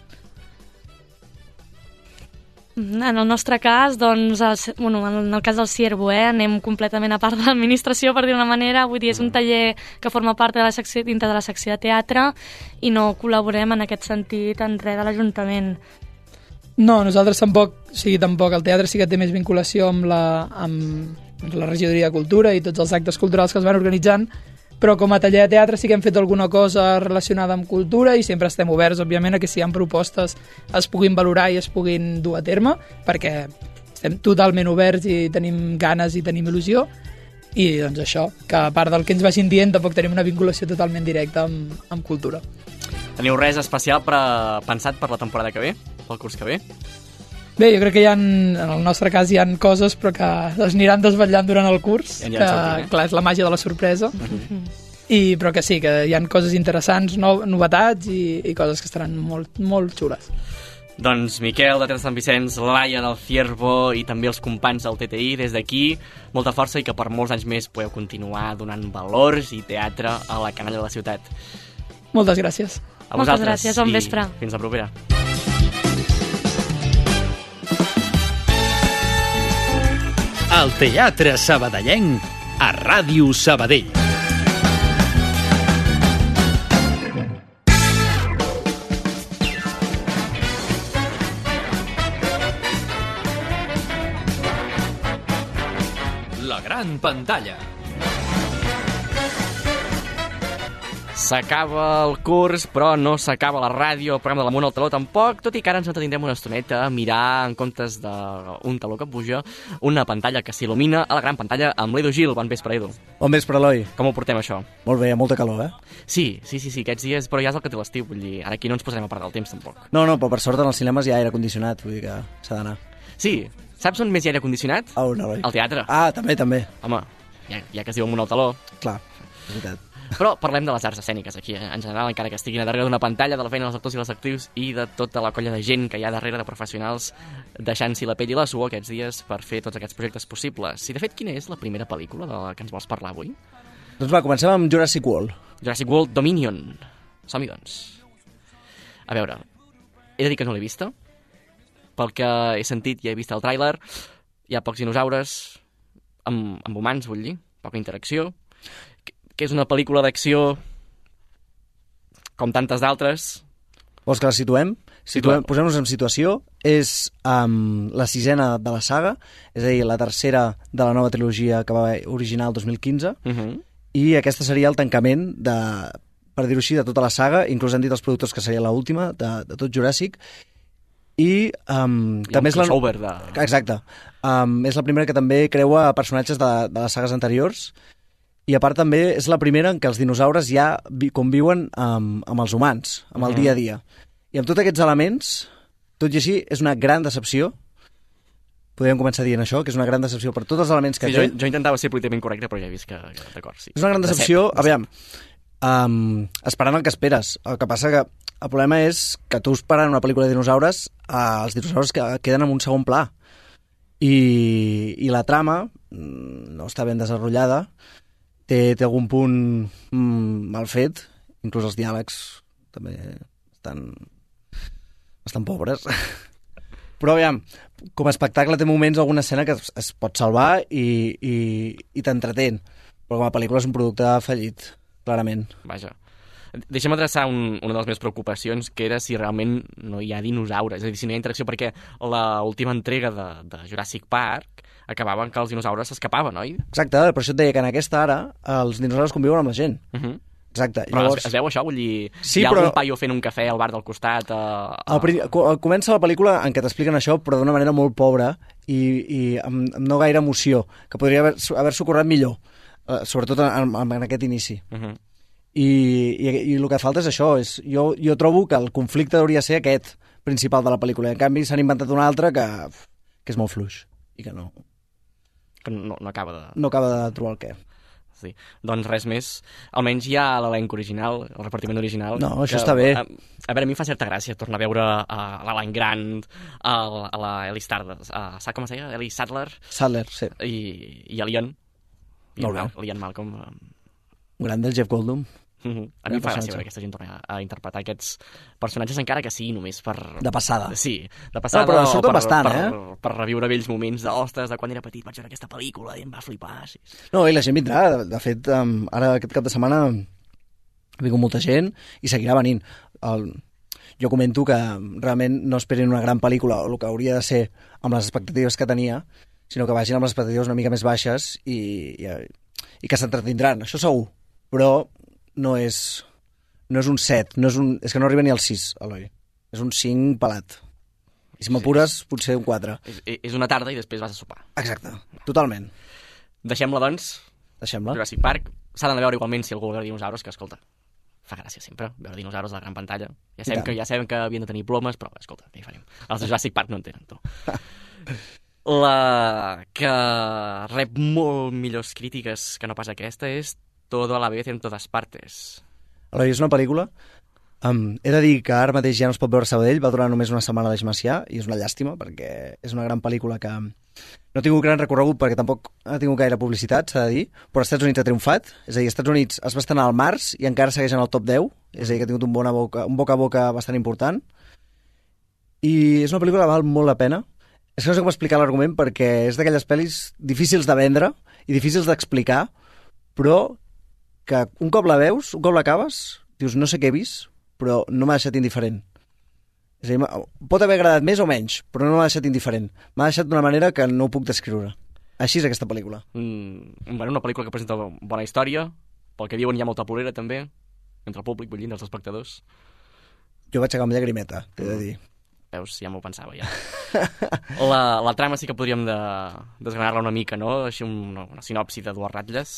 En el nostre cas, doncs, en el cas del Ciervo, anem completament a part de l'administració, per dir una manera. Vull dir, és un taller que forma part de la secció, dintre de la secció de teatre, i no col·laborem en aquest sentit en res de l'Ajuntament. No, nosaltres tampoc. El teatre sí que té més vinculació amb la regidoria de cultura i tots els actes culturals que es van organitzant, però com a taller de teatre sí que hem fet alguna cosa relacionada amb cultura i sempre estem oberts, òbviament, a que si hi ha propostes es puguin valorar i es puguin dur a terme, perquè estem totalment oberts i tenim ganes i tenim il·lusió, i doncs això, que a part del que ens vagin dient tampoc tenim una vinculació totalment directa amb cultura. Teniu res especial pensat per la temporada que ve, pel curs que ve? Bé, jo crec que en el nostre cas hi ha coses però que es aniran desvetllant durant el curs, que clar, és la màgia de la sorpresa, però que sí, que hi ha coses interessants, novetats i coses que estaran molt, molt xules. Doncs Miquel, de Teatre Sant Vicenç, Laia del Ciervo i també els companys del TTI, des d'aquí, molta força i que per molts anys més podeu continuar donant valors i teatre a la canalla de la ciutat. Moltes gràcies. A vosaltres. Moltes gràcies, bon vespre. Fins la propera. El teatre sabadellenc a Ràdio Sabadell. La gran pantalla. S'acaba el curs, però no s'acaba la ràdio, el programa de l'Amunt al Taló tampoc, tot i que ara ens entretindrem una estoneta a mirar, en comptes d'un taló que puja, una pantalla que s'il·lumina a la gran pantalla amb l'Edu Gil. Bon vespre, Edu. Bon vespre, Eloi. Com ho portem, això? Molt bé, molta calor, Sí, aquests dies, però ja és el que té l'estiu, vull dir, ara aquí no ens posarem a perdre el temps, tampoc. No, però per sort en els cinemes hi ha aire condicionat, vull dir que s'ha d'anar. Sí, saps on més hi ha aire condicionat? On, Eloi? Al teatre. Ah, també. Home, ja que es diu Amunt al Taló. Clar, és veritat. Però parlem de les arts escèniques aquí, en general, encara que estiguin a darrere d'una pantalla, de la feina dels actors i les actrius i de tota la colla de gent que hi ha darrere de professionals deixant-s'hi la pell i la suor aquests dies per fer tots aquests projectes possibles. I, de fet, quina és la primera pel·lícula de la que ens vols parlar avui? Doncs va, comencem amb Jurassic World. Jurassic World Dominion. Som-hi, doncs. A veure, he de dir que no l'he vista. Pel que he sentit i he vist el tràiler, hi ha pocs dinosaures amb humans, vull dir, poca interacció, que és una pel·lícula d'acció com tantes d'altres. Vols que la situem? Posem-nos en situació. És la 6ª de la saga, és a dir, la 3ª de la nova trilogia que va originar el 2015, i aquesta seria el tancament per dir-ho així, de tota la saga. Inclús han dit els productors que seria l'última de tot Jurassic. I també és la... Exacte. És la primera que també creua personatges de les sagues anteriors. I a part també és la primera en què els dinosaures ja conviuen amb els humans, amb el dia a dia. I amb tots aquests elements, tot i així, és una gran decepció. Podríem començar dient això, que és una gran decepció per tots els elements que té. Jo intentava ser políticament correcte, però ja he vist que d'acord, sí. És una gran decepció, aviam, esperant el que esperes. El que passa que el problema és que tu esperant una pel·lícula de dinosaures, els dinosaures queden en un segon pla. I la trama no està ben desenvolupada, té algun punt mal fet, inclús els diàlegs també estan bastant pobres. Però aviam, com a espectacle té moments alguna escena que es pot salvar i t'entretén, però com a pel·lícula és un producte fallit, clarament. Vaja. Deixa'm adreçar una de les meves preocupacions, que era si realment no hi ha dinosaures, és a dir, si no hi ha interacció, perquè l'última entrega de Jurassic Park acabava que els dinosaures s'escapaven, oi? Exacte, per això et deia que en aquesta ara els dinosaures conviuen amb la gent. Exacte. Però llavors... es veu això? Vull dir, sí, hi ha algun paio fent un cafè al bar del costat? Comença la pel·lícula en què t'expliquen això, però d'una manera molt pobra i amb no gaire emoció, que podria haver-s'ho currat millor, sobretot en aquest inici. I el que falta és això. Jo trobo que el conflicte hauria ser aquest principal de la pel·lícula. En canvi, s'han inventat un altre que és molt fluix i que no acaba de trobar el què. Sí. Doncs res més. Almenys hi ha l'elenc original, el repartiment original. No, això està bé. A veure, a mi em fa certa gràcia tornar a veure l'Alan Grant, a la Ellie Sadler, com es deia? Ellie Sadler? Sadler, sí. I a l'Ian. L'Ian Malcolm. Gran del Jeff Goldblum. A mi em fa gràcia veure aquesta gent tornar a interpretar aquests personatges, encara que sigui només per... De passada. Sí, de passada. No, però surten bastant, per reviure vells moments d'ostres, de quan era petit vaig veure aquesta pel·lícula i em va flipar. Sí. No, i la gent vindrà. De fet, ara aquest cap de setmana ha vingut molta gent i seguirà venint. Jo comento que realment no esperin una gran pel·lícula, o el que hauria de ser amb les expectatives que tenia, sinó que vagin amb les expectatives una mica més baixes i que s'entretindran, això segur. Però no és un 7, és que no arriba ni al 6, Eloi. És un 5 pelat. I si m'apures, potser un 4. És una tarda i després vas a sopar. Exacte, totalment. Deixem-la, doncs. Deixem-la. Jurassic Park. S'ha d'anar a veure igualment si algú vol veure dinosaures, que, escolta, fa gràcia sempre veure dinosaures a la gran pantalla. Ja sabem que havien de tenir plomes, però, escolta, què hi farem? Els de Jurassic Park no en tenen, tu. La que rep molt millors crítiques que no pas aquesta és Todo a la vez en todas partes. Eloi, és una pel·lícula. He de dir que ara mateix ja no es pot veure a Sabadell, va durar només una setmana a l'Eix Macià, i és una llàstima, perquè és una gran pel·lícula que no ha tingut gran recorregut perquè tampoc ha tingut gaire publicitat, s'ha de dir, però als Estats Units ha triomfat, és a dir, als Estats Units es va estrenar al març i encara segueix en el top 10, és a dir, que ha tingut un boca a boca bastant important, i és una pel·lícula que val molt la pena. És que no sé com explicar l'argument, perquè és d'aquelles pel·lis difícils de vendre i difícils d'explicar, però que un cop la veus, un cop l'acabes, dius, no sé què he vist, però no m'ha deixat indiferent. És a dir, pot haver agradat més o menys, però no m'ha deixat indiferent. M'ha deixat d'una manera que no ho puc descriure. Així és aquesta pel·lícula. Una pel·lícula que presenta bona història, pel que diuen hi ha molta plorera també, entre el públic, vull dir, dels espectadors. Jo vaig acabar amb llagrimeta, t'he de dir. Veus, ja m'ho pensava, ja. La trama sí que podríem desgranar-la una mica, no? Així una sinopsi de dues ratlles.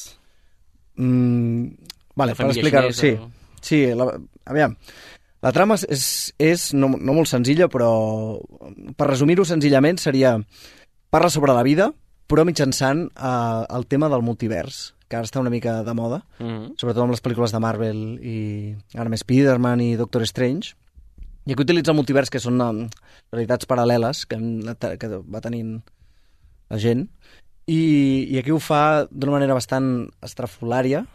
Vale, per explicar-ho, sí. Sí, aviam. La trama és no molt senzilla, però per resumir-ho senzillament seria... Parla sobre la vida, però mitjançant el tema del multivers, que ara està una mica de moda, sobretot amb les pel·lícules de Marvel i ara més Spider-Man i Doctor Strange. I aquí utilitza el multivers, que són realitats paral·leles que va tenint la gent, i aquí ho fa d'una manera bastant estrafolària,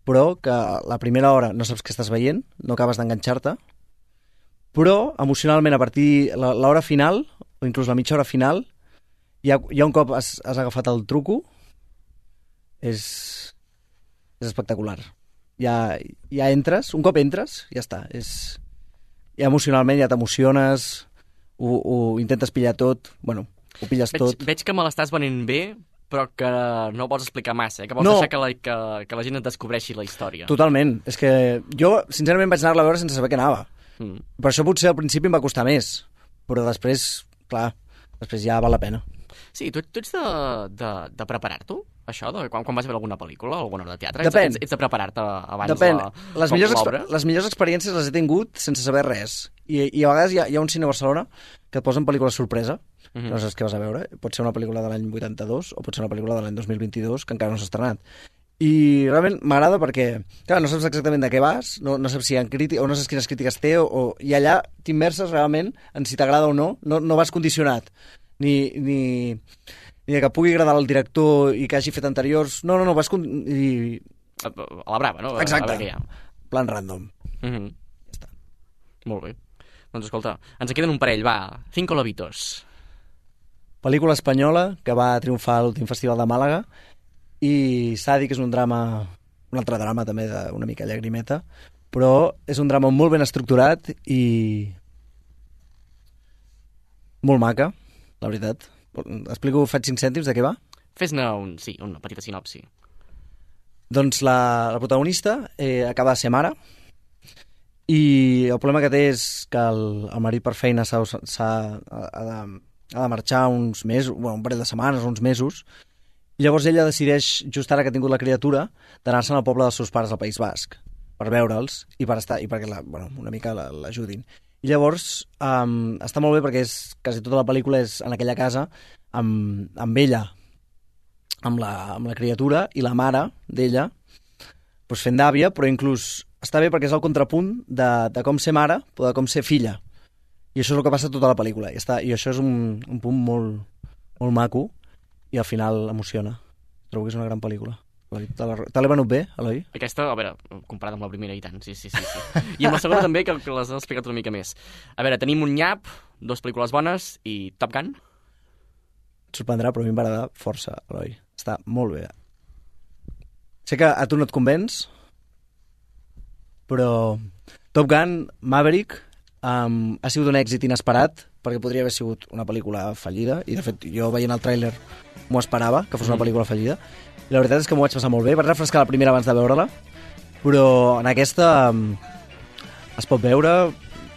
però que la primera hora no saps què estàs veient, no acabes d'enganxar-te, però emocionalment a partir l'hora final, o inclús la mitja hora final, ja un cop has agafat el truco, és espectacular. Ja entres, un cop entres, ja està. Ja emocionalment ja t'emociones, ho intentes pillar tot, bueno, ho pilles tot. Veig que me l'estàs venint bé, però que no vols explicar massa, que vols deixar que la gent et descobreixi la història. Totalment. És que jo, sincerament, vaig anar-la a veure sense saber què anava. Per això potser al principi em va costar més, però després, clar, després ja val la pena. Sí, tu ets de preparar-t'ho, això? Quan vas veure alguna pel·lícula o alguna obra de teatre? Depèn. Ets de preparar-te abans Depèn. l'obra? Les millors experiències les he tingut sense saber res. I a vegades hi ha un cine a Barcelona que et posen pel·lícules sorpresa, no saps què vas a veure. Pot ser una pel·lícula de l'any 82 o pot ser una pel·lícula de l'any 2022 que encara no s'ha estrenat. I realment m'agrada perquè, clar, no saps exactament de què vas, no saps si hi ha crítiques, o no saps quines crítiques té, i allà t'immerses realment en si t'agrada o no vas condicionat. Ni de que pugui agradar al director i que hagi fet anteriors. No, vas... A la brava, no? Exacte. A veure què hi ha. Plan random. Ja està. Molt bé. Doncs escolta, ens en queden un parell, va. 5 lobitos. Pel·lícula espanyola que va triomfar a l'últim festival de Màlaga i s'ha de dir que és un altre drama també d'una mica llagrimeta, però és un drama molt ben estructurat i molt maca, la veritat. Faig 5 cèntims de què va? Fes-ne una petita sinopsi. Doncs la protagonista acaba de ser mare i el problema que té és que el marit per feina ha de marxar uns mesos, un parell de setmanes, uns mesos, i llavors ella decideix, just ara que ha tingut la criatura, d'anar-se'n al poble dels seus pares al País Basc per veure'ls i perquè una mica l'ajudin. I llavors està molt bé perquè quasi tota la pel·lícula és en aquella casa amb ella, amb la criatura i la mare d'ella doncs fent d'àvia, però inclús està bé perquè és el contrapunt de com ser mare o de com ser filla. I això és el que passa tota la pel·lícula. I això és un punt molt, molt maco i al final emociona. Trobo que és una gran pel·lícula. Te l'he venut bé, Eloi? Aquesta, a veure, comparada amb la primera i tant, sí. I amb la segona també, que les has explicat una mica més. A veure, tenim un nyap, 2 pel·lícules bones i Top Gun. Et sorprendrà, però a mi em va agradar força, Eloi. Està molt bé. Sé que a tu no et convenç, però Top Gun Maverick ha sigut un èxit inesperat perquè podria haver sigut una pel·lícula fallida i de fet jo veient el tràiler m'ho esperava que fos una pel·lícula fallida i la veritat és que m'ho vaig passar molt bé. Vaig refrescar la primera abans de veure-la, però en aquesta es pot veure,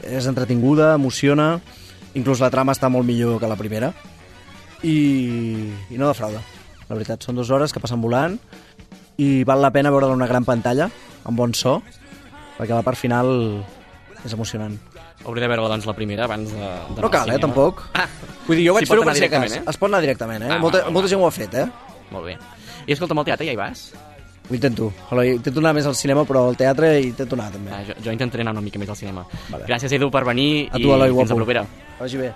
és entretinguda, emociona, inclús la trama està molt millor que la primera i no defrauda, la veritat. Són 2 hores que passen volant i val la pena veure-la en una gran pantalla amb bon so perquè la part final és emocionant. Hauré de veure doncs la primera abans de no cal, tampoc. Vull dir, jo vaig fer-ho per si cas. Es pot anar directament, molta gent ho ha fet, Molt bé. I escolta'm, al teatre ja hi vas? Ho intento. Intento anar més al cinema, però al teatre intento anar, també. Jo intentaré anar una mica més al cinema. Vale. Gràcies, Edu, per venir a tu, Eloi, i fins la propera. Que vagi bé.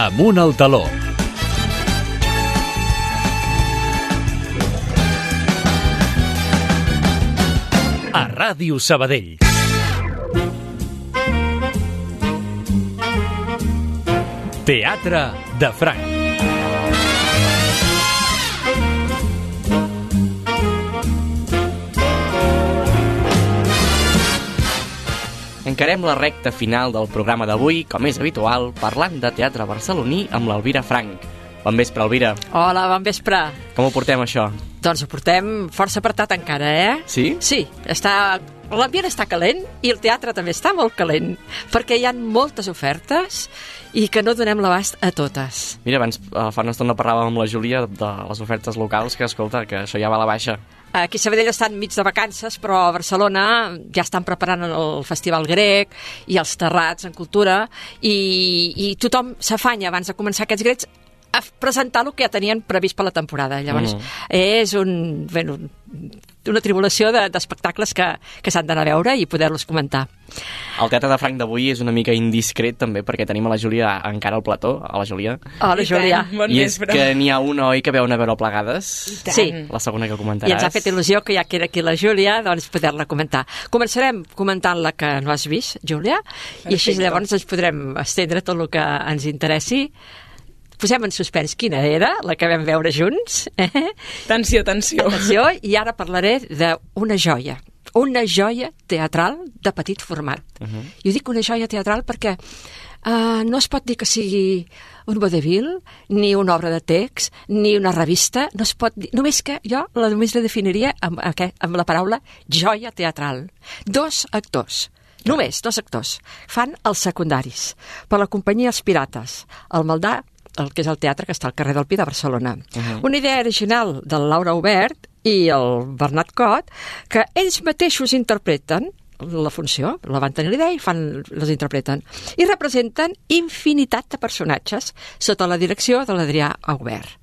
Amunt al taló. A Ràdio Sabadell. Teatre de Franc. Encarem la recta final del programa d'avui, com és habitual, parlant de teatre barceloní amb l'Elvira Franc. Bon vespre, Elvira. Hola, bon vespre. Com ho portem, això? Doncs ho portem força apretat encara, Sí? Sí, l'ambient està calent i el teatre també està molt calent, perquè hi ha moltes ofertes i que no donem l'abast a totes. Mira, abans fa una estona parlàvem amb la Júlia de les ofertes locals, que escolta, que això ja va a la baixa. Aquí a Sabadell estan mig de vacances, però a Barcelona ja estan preparant el Festival Grec i els terrats en cultura i tothom s'afanya abans de començar aquests grecs a presentar el que ja tenien previst per la temporada. Llavors, és una tribulació d'espectacles que s'han d'anar a veure i poder-los comentar. El Teatre de Franc d'avui és una mica indiscret, també, perquè tenim a la Júlia encara al plató, a la Júlia. Hola, Júlia. I és que n'hi ha una, oi, que veu anar a veure plegades? Sí. La segona que comentaràs. I ens ha fet il·lusió que ja que era aquí la Júlia, doncs poder-la comentar. Començarem comentant la que no has vist, Júlia, i així llavors ens podrem estendre tot el que ens interessi. Posem en suspens quina era, la que vam veure junts. Tensió. Atenció, i ara parlaré d'una joia teatral de petit format. I ho dic una joia teatral perquè no es pot dir que sigui un vodevil, ni una obra de text, ni una revista, no es pot dir, només que jo només la definiria amb la paraula joia teatral. 2 actors. Només 2 actors. Fan els secundaris. Per la companyia Els Pirates. El Maldà, el que és el teatre que està al carrer del Pi de Barcelona. Una idea original del Laura Obert i el Bernat Cot, que ells mateixos interpreten la funció, la van tenir l'idea i les interpreten. I representen infinitat de personatges sota la direcció de l'Adrià Aubert.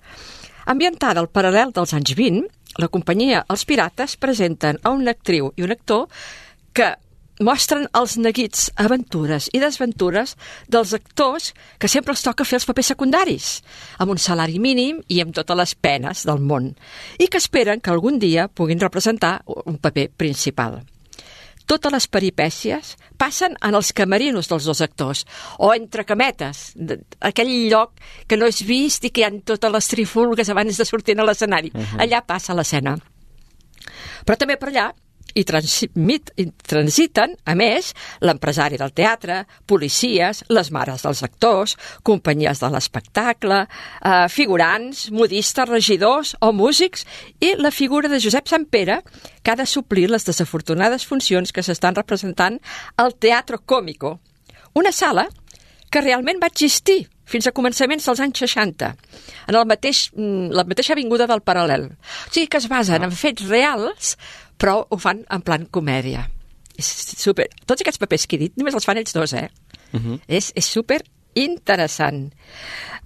Ambientada al paral·lel dels anys 20, la companyia Els Pirates presenten a una actriu i un actor que mostren els neguits, aventures i desventures dels actors que sempre els toca fer els papers secundaris, amb un salari mínim i amb totes les penes del món, i que esperen que algun dia puguin representar un paper principal. totes les peripècies passen en els camerinos dels dos actors, o entre cametes, aquell lloc que no és vist i que hi ha totes les trifulgues abans de sortir a l'escenari. Allà passa l'escena. Però també per allà i transiten, a més, l'empresari del teatre, policies, les mares dels actors, companyies de l'espectacle, figurants, modistes, regidors o músics, i la figura de Josep Sampere, que ha de suplir les desafortunades funcions que s'estan representant al Teatro Cómico, una sala que realment va existir fins a començaments dels anys 60, en la mateixa avinguda del Paral·lel. O sigui que es basen en fets reals, però ho fan en plan comèdia. És super. Tots aquests papers que he dit només els fan ells dos, És super interessant.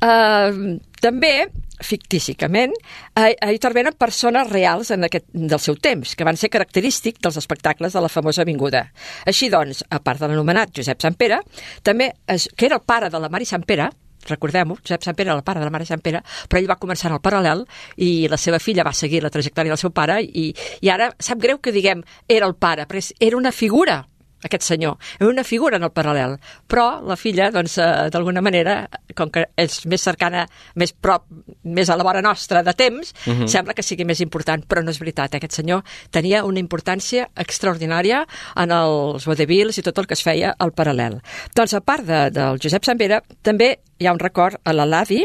També, fictíssimament, hi intervenen persones reals del seu temps, que van ser característics dels espectacles de la famosa avinguda. Així doncs, a part de l'anomenat Josep Sampere, també, que era el pare de la Mari Sampere, recordem-ho, Josep Sampere era el pare de la Mare Sampere, però ell va començar en el Paral·lel i la seva filla va seguir la trajectòria del seu pare i ara sap greu que diguem era el pare, però era una figura, aquest senyor, era una figura en el Paral·lel, però la filla, doncs, d'alguna manera, com que és més cercana, més prop, més a la vora nostra de temps, sembla que sigui més important, però no és veritat. Aquest senyor tenia una importància extraordinària en els vodevils i tot el que es feia al Paral·lel. Doncs, a part del Josep Sampere, també hi ha un record a la Ladi,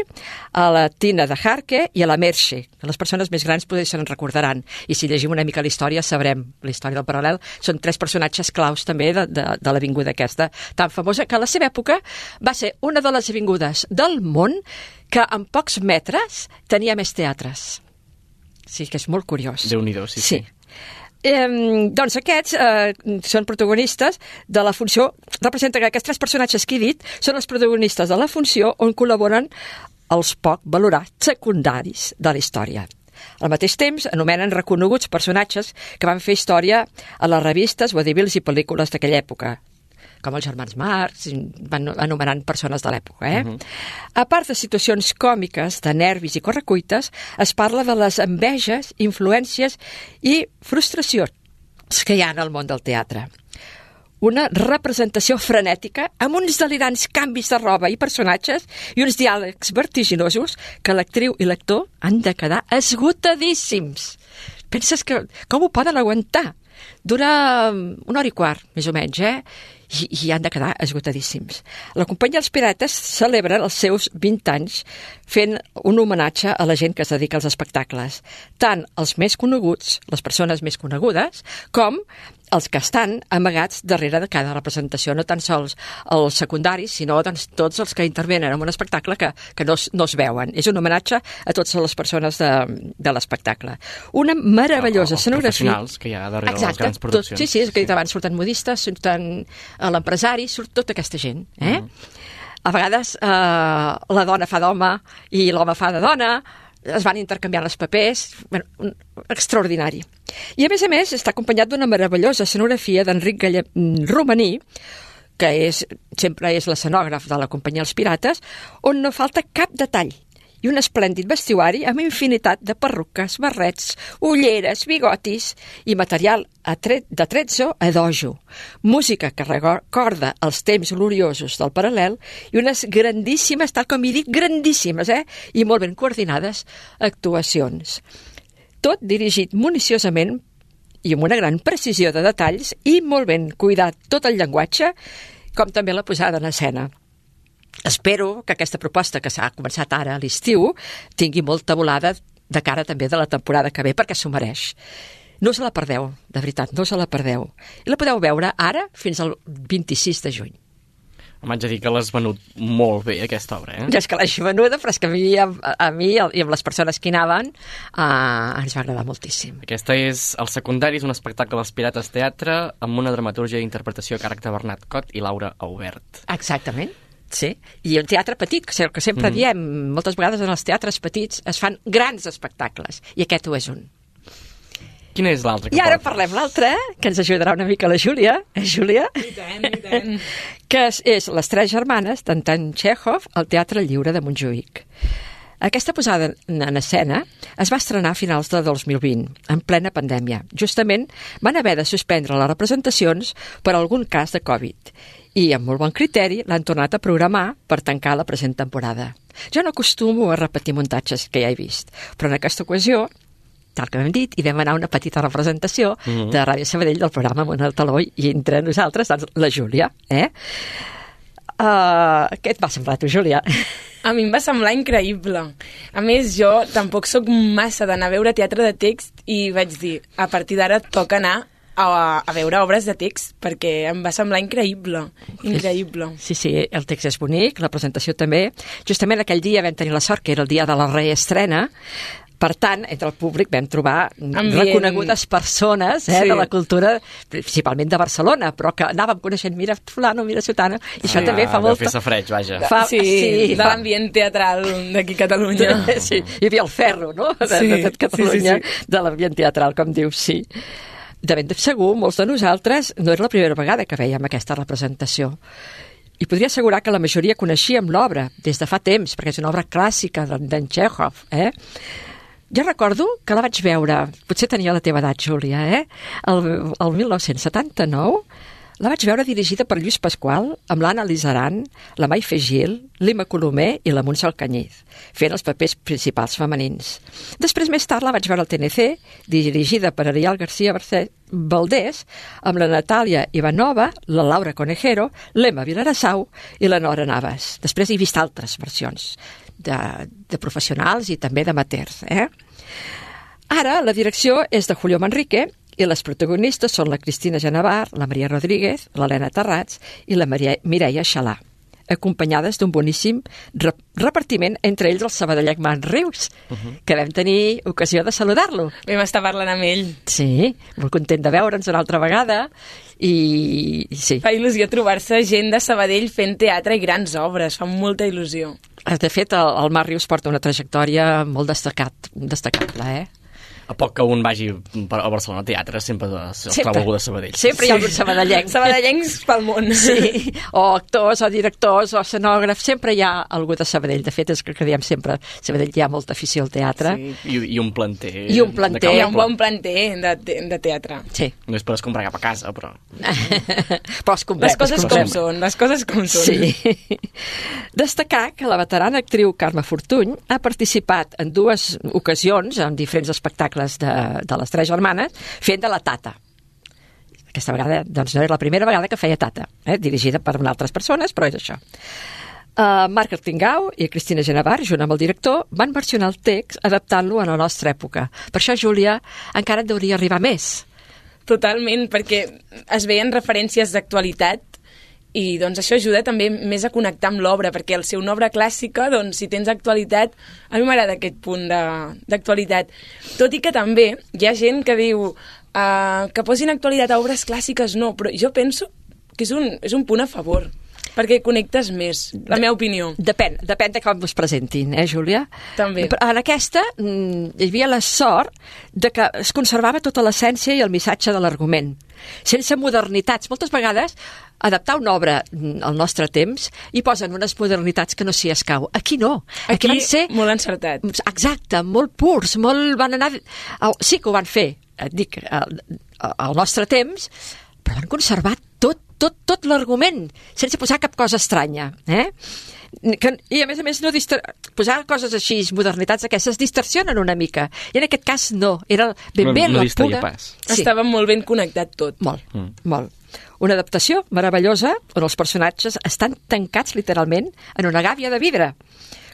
a la Tina de Harke i a la Merche, que les persones més grans potser se'n recordaran. I si llegim una mica la història, sabrem la història del Paral·lel. Són 3 personatges claus també de l'avinguda aquesta, tan famosa que a la seva època va ser una de les avingudes del món que en pocs metres tenia més teatres. Sí, que és molt curiós. Déu-n'hi-do, sí. Doncs aquests són protagonistes de la funció, representa que aquests 3 personatges que he dit són els protagonistes de la funció on col·laboren els poc valorats secundaris de la història. Al mateix temps, anomenen reconeguts personatges que van fer història a les revistes, vodevils i pel·lícules d'aquella època, com els germans Marx, van anomenant persones de l'època. A part de situacions còmiques, de nervis i correcuites, es parla de les enveges, influències i frustracions que hi ha en el món del teatre. Una representació frenètica amb uns delirants canvis de roba i personatges i uns diàlegs vertiginosos que l'actriu i l'actor han de quedar esgotadíssims. Penses que com ho poden aguantar? Dura 1 hora i quart, més o menys, i han de quedar esgotadíssims. La companyia Els Pirates celebra els seus 20 anys fent un homenatge a la gent que es dedica als espectacles, tant els més coneguts, les persones més conegudes, com els que estan amagats darrere de cada representació, no tan sols els secundaris, sinó doncs, tots els que intervenen en un espectacle que no es veuen. És un homenatge a totes les persones de l'espectacle. Una meravellosa escenografia. Els professionals que hi ha darrere les grans produccions. Sí, és que abans surten modistes, surten l'empresari, surt tota aquesta gent. A vegades la dona fa d'home i l'home fa de dona, es van intercanviant els papers, extraordinari. I a més, està acompanyat d'una meravellosa escenografia d'Enric Romaní, que sempre és l'escenògraf de la companyia Els Pirates, on no falta cap detall, i un esplèndid vestuari amb infinitat de perruques, barrets, ulleres, bigotis i material de trezzo a dojo, música que recorda els temps gloriosos del Paral·lel i unes grandíssimes, tal com he dit, grandíssimes, i molt ben coordinades actuacions. Tot dirigit municiosament i amb una gran precisió de detalls i molt ben cuidat tot el llenguatge, com també la posada en escena. Espero que aquesta proposta que s'ha començat ara a l'estiu tingui molta volada de cara també de la temporada que ve, perquè s'ho mereix. No se la perdeu, de veritat, no se la perdeu. I la podeu veure ara fins al 26 de juny. M'haig de dir que l'has venut molt bé, aquesta obra, Ja és que l'hagi venuda, però és que a mi i amb les persones que hi anaven ens va agradar moltíssim. Aquesta és El secundari, és un espectacle dels Pirates Teatre amb una dramatúrgia d'interpretació a càrrec de Bernat Cot i Laura Aubert. Exactament. Sí, i un teatre petit, que sempre diem, moltes vegades en els teatres petits es fan grans espectacles, i aquest ho és un. Quin és l'altre? I ara parlem l'altre, que ens ajudarà una mica la Júlia. Júlia? I tant. Que és Les 3 germanes d'Anton Txékhov al Teatre Lliure de Montjuïc. Aquesta posada en escena es va estrenar a finals de 2020, en plena pandèmia. Justament van haver de suspendre les representacions per algun cas de Covid i, amb molt bon criteri, l'han tornat a programar per tancar la present temporada. Jo no acostumo a repetir muntatges que ja he vist, però en aquesta ocasió, tal que hem dit, hi vam anar a una petita representació de Ràdio Sabadell del programa Amunt al Taló i entre nosaltres, doncs, la Júlia. Què et va semblar, tu, Júlia? A mi em va semblar increïble. A més, jo tampoc sóc massa d'anar a veure teatre de text i vaig dir, a partir d'ara toca anar a veure obres de text, perquè em va semblar increïble. Sí, el text és bonic, la presentació també. Justament aquell dia vam tenir la sort que era el dia de la reestrena. Per tant, entre el públic vam trobar reconegudes persones de la cultura, principalment de Barcelona, però que anàvem coneixent, mira fulano, mira sutano, i això també fa molta... Deu fer safreig, vaja. De l'ambient teatral d'aquí a Catalunya. Sí, hi havia el ferro, no?, de Catalunya, de l'ambient teatral, com dius, sí. De ben segur, molts de nosaltres no era la primera vegada que veiem aquesta representació. I podria assegurar que la majoria coneixíem l'obra des de fa temps, perquè és una obra clàssica d'en Txékhov, Jo recordo que la vaig veure, potser tenia la teva edat, Júlia, el 1979, la vaig veure dirigida per Lluís Pasqual, amb l'Anna Lizaran, la Maife Gil, l'Ima Colomer i la Montse Alcañiz, fent els papers principals femenins. Després, més tard, la vaig veure al TNC, dirigida per Ariel García Valdés, amb la Natàlia Ivanova, la Laura Conejero, l'Emma Vilarassau i la Nora Navas. Després he vist altres versions de professionals i també d'amateurs. Ara la direcció és de Julio Manrique i les protagonistes són la Cristina Genevar, la Maria Rodríguez, l'Helena Terrats i la Mireia Xalà, acompanyades d'un boníssim repartiment, entre ells el sabadellenc Marc Rius, que vam tenir ocasió de saludar-lo. Vam estar parlant amb ell. Sí, molt content de veure'ns una altra vegada i sí. Fa il·lusió trobar-se gent de Sabadell fent teatre i grans obres, fa molta il·lusió. De fet, el Marc Rius porta una trajectòria molt destacable, A poc que un vagi a Barcelona a teatre, sempre es troba algú de Sabadell. Sempre hi ha algun sabadellenc. Sabadellencs pel món. Sí, o actors, o directors, o escenògrafs, sempre hi ha algú de Sabadell. De fet, és que diem sempre, a Sabadell hi ha molta afició al teatre. Sí. I un planter. I un planter. Hi ha un bon planter de teatre. Sí. No és per escombrar cap a casa, però... Però escombrem. Les coses com són. Sí. Destacar que la veterana actriu Carme Fortuny ha participat en 2 ocasions, en diferents espectacles de les 3 germanes, fent de la Tata. Aquesta vegada, doncs, no era la primera vegada que feia Tata, dirigida per altres persones, però és això. Marc Artingau i Cristina Genevar, junt amb el director, van versionar el text adaptant-lo a la nostra època. Per això, Júlia, encara et hauria arribar més. Totalment, perquè es veien referències d'actualitat i doncs això ajuda també més a connectar amb l'obra, perquè al ser una obra clàssica, doncs si tens actualitat, a mi m'agrada aquest punt d'actualitat. Tot i que també hi ha gent que diu que posin actualitat a obres clàssiques, no, però jo penso que és un punt a favor, perquè connectes més, la meva opinió. Depèn de com es presentin, Júlia? També. En aquesta hi havia la sort de que es conservava tota l'essència i el missatge de l'argument, sense modernitats. Moltes vegades adaptar una obra al nostre temps i posen unes modernitats que no s'hi escau. Aquí no. Aquí van ser molt encertat. Exacte, molt purs, van anar... Sí que ho van fer, et dic, al nostre temps, però van conservar tot l'argument, sense posar cap cosa estranya. I a més no posar coses així, modernitats aquestes, distorsionen una mica. I en aquest cas no, era ben bé la pura... Pas. Sí. Estava molt ben connectat tot. Molt. Una adaptació meravellosa on els personatges estan tancats literalment en una gàbia de vidre,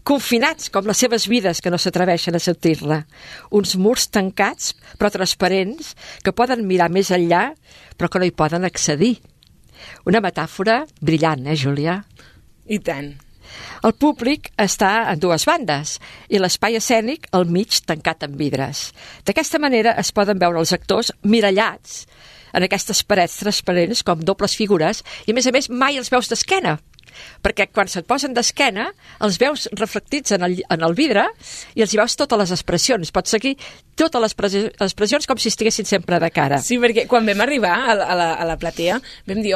confinats com les seves vides que no s'atreveixen a sortir-la. Uns murs tancats però transparents que poden mirar més enllà però que no hi poden accedir. Una metàfora brillant, Júlia? I tant. El públic està en 2 bandes i l'espai escènic al mig tancat amb vidres. D'aquesta manera es poden veure els actors mirallats en aquestes parets transparents com dobles figures i, a més, mai els veus d'esquena, perquè quan se't posen d'esquena els veus reflectits en el vidre i els hi veus totes les expressions. Pots seguir totes les expressions com si estiguessin sempre de cara. Sí, perquè quan vam arribar a la platea vam dir,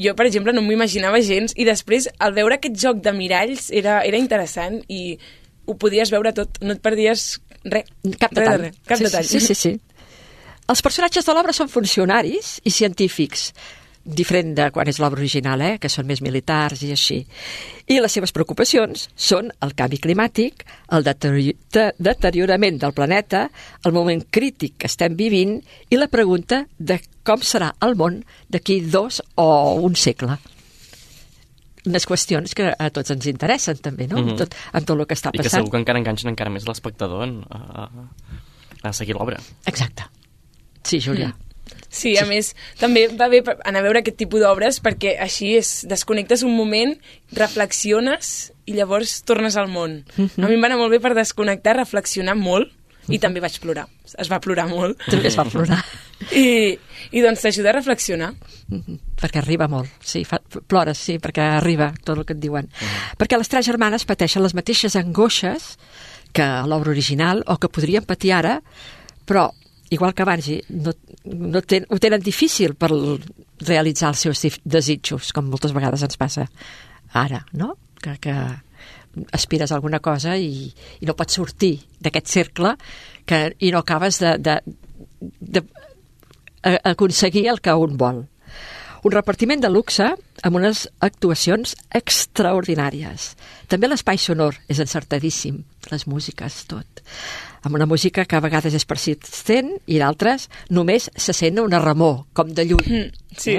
jo, per exemple, no m'ho imaginava gens i després, al veure aquest joc de miralls, era interessant i ho podies veure tot, no et perdies res. Cap detall. Cap detall. Sí. Els personatges de l'obra són funcionaris i científics, diferent de quan és l'obra original, que són més militars i així. I les seves preocupacions són el canvi climàtic, el deteriorament del planeta, el moment crític que estem vivint i la pregunta de com serà el món d'aquí 2 o 1 segle. Unes qüestions que a tots ens interessen també, no? Amb tot el que està passant. I que segur que encara enganxen encara més l'espectador a seguir l'obra. Exacte. Sí, Júlia. Sí, a més, també va bé anar a veure aquest tipus d'obres perquè així desconnectes un moment, reflexiones i llavors tornes al món. A mi em va anar molt bé per desconnectar, reflexionar molt i també vaig plorar. Es va plorar molt. També es va plorar. I doncs t'ajuda a reflexionar. Perquè arriba molt. Sí, plores, sí, perquè arriba tot el que et diuen. Perquè les 3 germanes pateixen les mateixes angoixes que a l'obra original o que podrien patir ara, però igual que abans, ho tenen difícil per realitzar els seus desitjos, com moltes vegades ens passa ara, no? Que aspires a alguna cosa i no pots sortir d'aquest cercle i no acabes d'aconseguir el que un vol. Un repartiment de luxe amb unes actuacions extraordinàries. També l'espai sonor és encertadíssim, les músiques, tot. Amb una música que a vegades és persistent i d'altres només se sent una remor, com de lluny. Sí.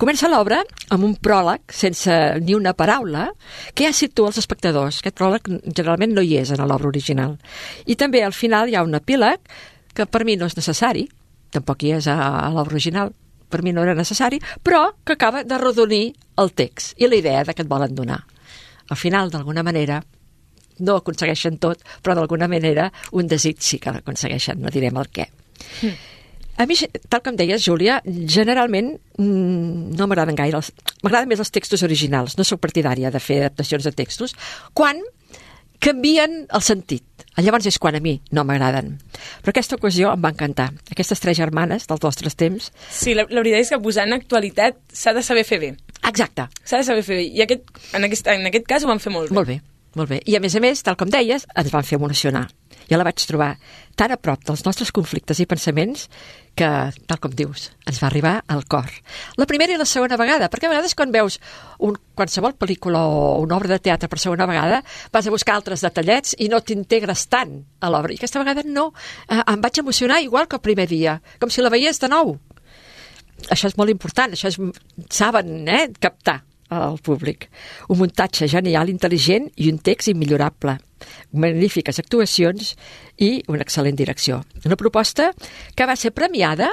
Comença l'obra amb un pròleg sense ni una paraula que ja situa els espectadors. Aquest pròleg generalment no hi és en l'obra original. I també al final hi ha un epíleg que per mi no és necessari, tampoc hi és a l'obra original, per mi no era necessari, però que acaba de redonir el text i la idea que et volen donar. Al final, d'alguna manera, no aconsegueixen tot, però d'alguna manera un desig sí que l'aconsegueixen, no direm el què. A mi, tal com deies, Júlia, generalment no m'agraden gaire. M'agraden més els textos originals, no soc partidària de fer adaptacions de textos, quan canvien el sentit. Llavors és quan a mi no m'agraden. Però aquesta ocasió em va encantar. Aquestes 3 germanes dels nostres temps... Sí, la veritat és que posar en actualitat s'ha de saber fer bé. Exacte. S'ha de saber fer bé. I en aquest cas ho van fer molt bé. Molt bé. I a més, tal com deies, ens van fer emocionar. Jo la vaig trobar tan a prop dels nostres conflictes i pensaments que, tal com dius, ens va arribar al cor. La primera i la segona vegada, perquè a vegades quan veus qualsevol pel·lícula o una obra de teatre per segona vegada vas a buscar altres detallets i no t'integres tant a l'obra. I aquesta vegada no. Em vaig emocionar igual que el primer dia, com si la veiés de nou. Això és molt important, això saben captar al públic. Un muntatge genial, intel·ligent i un text immillorable. Magnífiques actuacions i una excel·lent direcció. Una proposta que va ser premiada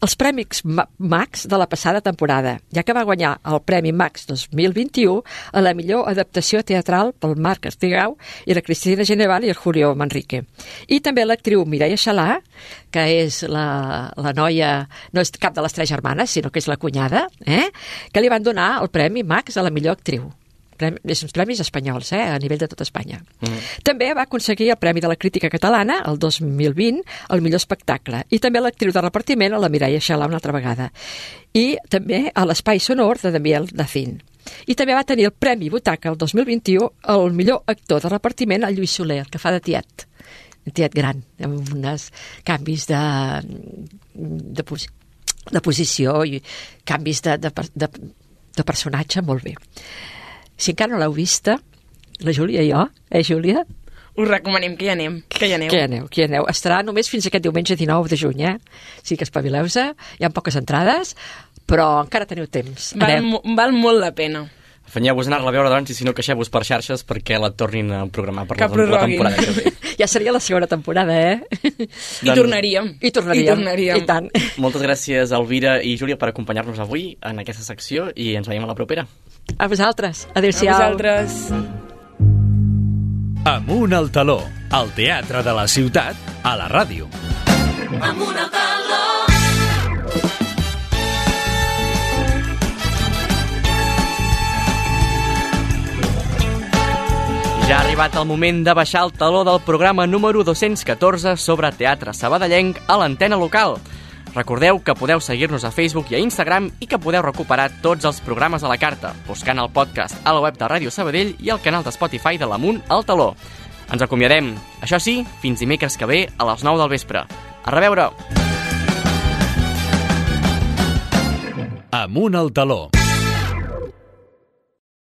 als Premis Max de la passada temporada, ja que va guanyar el Premi Max 2021 a la millor adaptació teatral pel Marc Estigau i la Cristina Geneval i el Julio Manrique. I també l'actriu Mireia Xalà, que és la noia, no és cap de les 3 germanes, sinó que és la cunyada, que li van donar el Premi Max a la millor actriu. És uns premis espanyols, a nivell de tot Espanya. També va aconseguir el Premi de la Crítica Catalana, el 2020, al millor espectacle. I també l'actriu de repartiment, la Mireia Xalà, una altra vegada. I també a l'Espai Sonor de Daniel Dacín. I també va tenir el Premi Butaca el 2021 al millor actor de repartiment, el Lluís Soler, que fa de tiet. Un tiet gran, amb uns canvis de posició i canvis de personatge molt bé. Si encara no l'heu vista, la Júlia i jo, Júlia? Us recomanem que hi anem, que hi aneu. Que hi aneu. Estarà només fins aquest diumenge 19 de juny, Sí que espavileu-se, hi ha poques entrades, però encara teniu temps. Val molt la pena. Afanyeu-vos a anar-la a veure, doncs, i si no, queixeu-vos per xarxes perquè la tornin a programar per la temporada que ve. Ja seria la segona temporada, I tornaríem. I tant. Moltes gràcies, Elvira i Júlia, per acompanyar-nos avui en aquesta secció i ens veiem a la propera. A vosaltres. Adéu-siau. A vosaltres. Amunt al taló, al teatre de la ciutat, a la ràdio. Amunt al taló. Ja ha arribat el moment de baixar el taló del programa número 214 sobre teatre sabadellenc a l'antena local. Recordeu que podeu seguir-nos a Facebook i a Instagram i que podeu recuperar tots els programes a la carta, buscant el podcast a la web de Ràdio Sabadell i al canal de Spotify de l'Amunt al Taló. Ens acomiadem, això sí, fins dimecres que ve a les 9 del vespre. A reveure! Amunt al taló.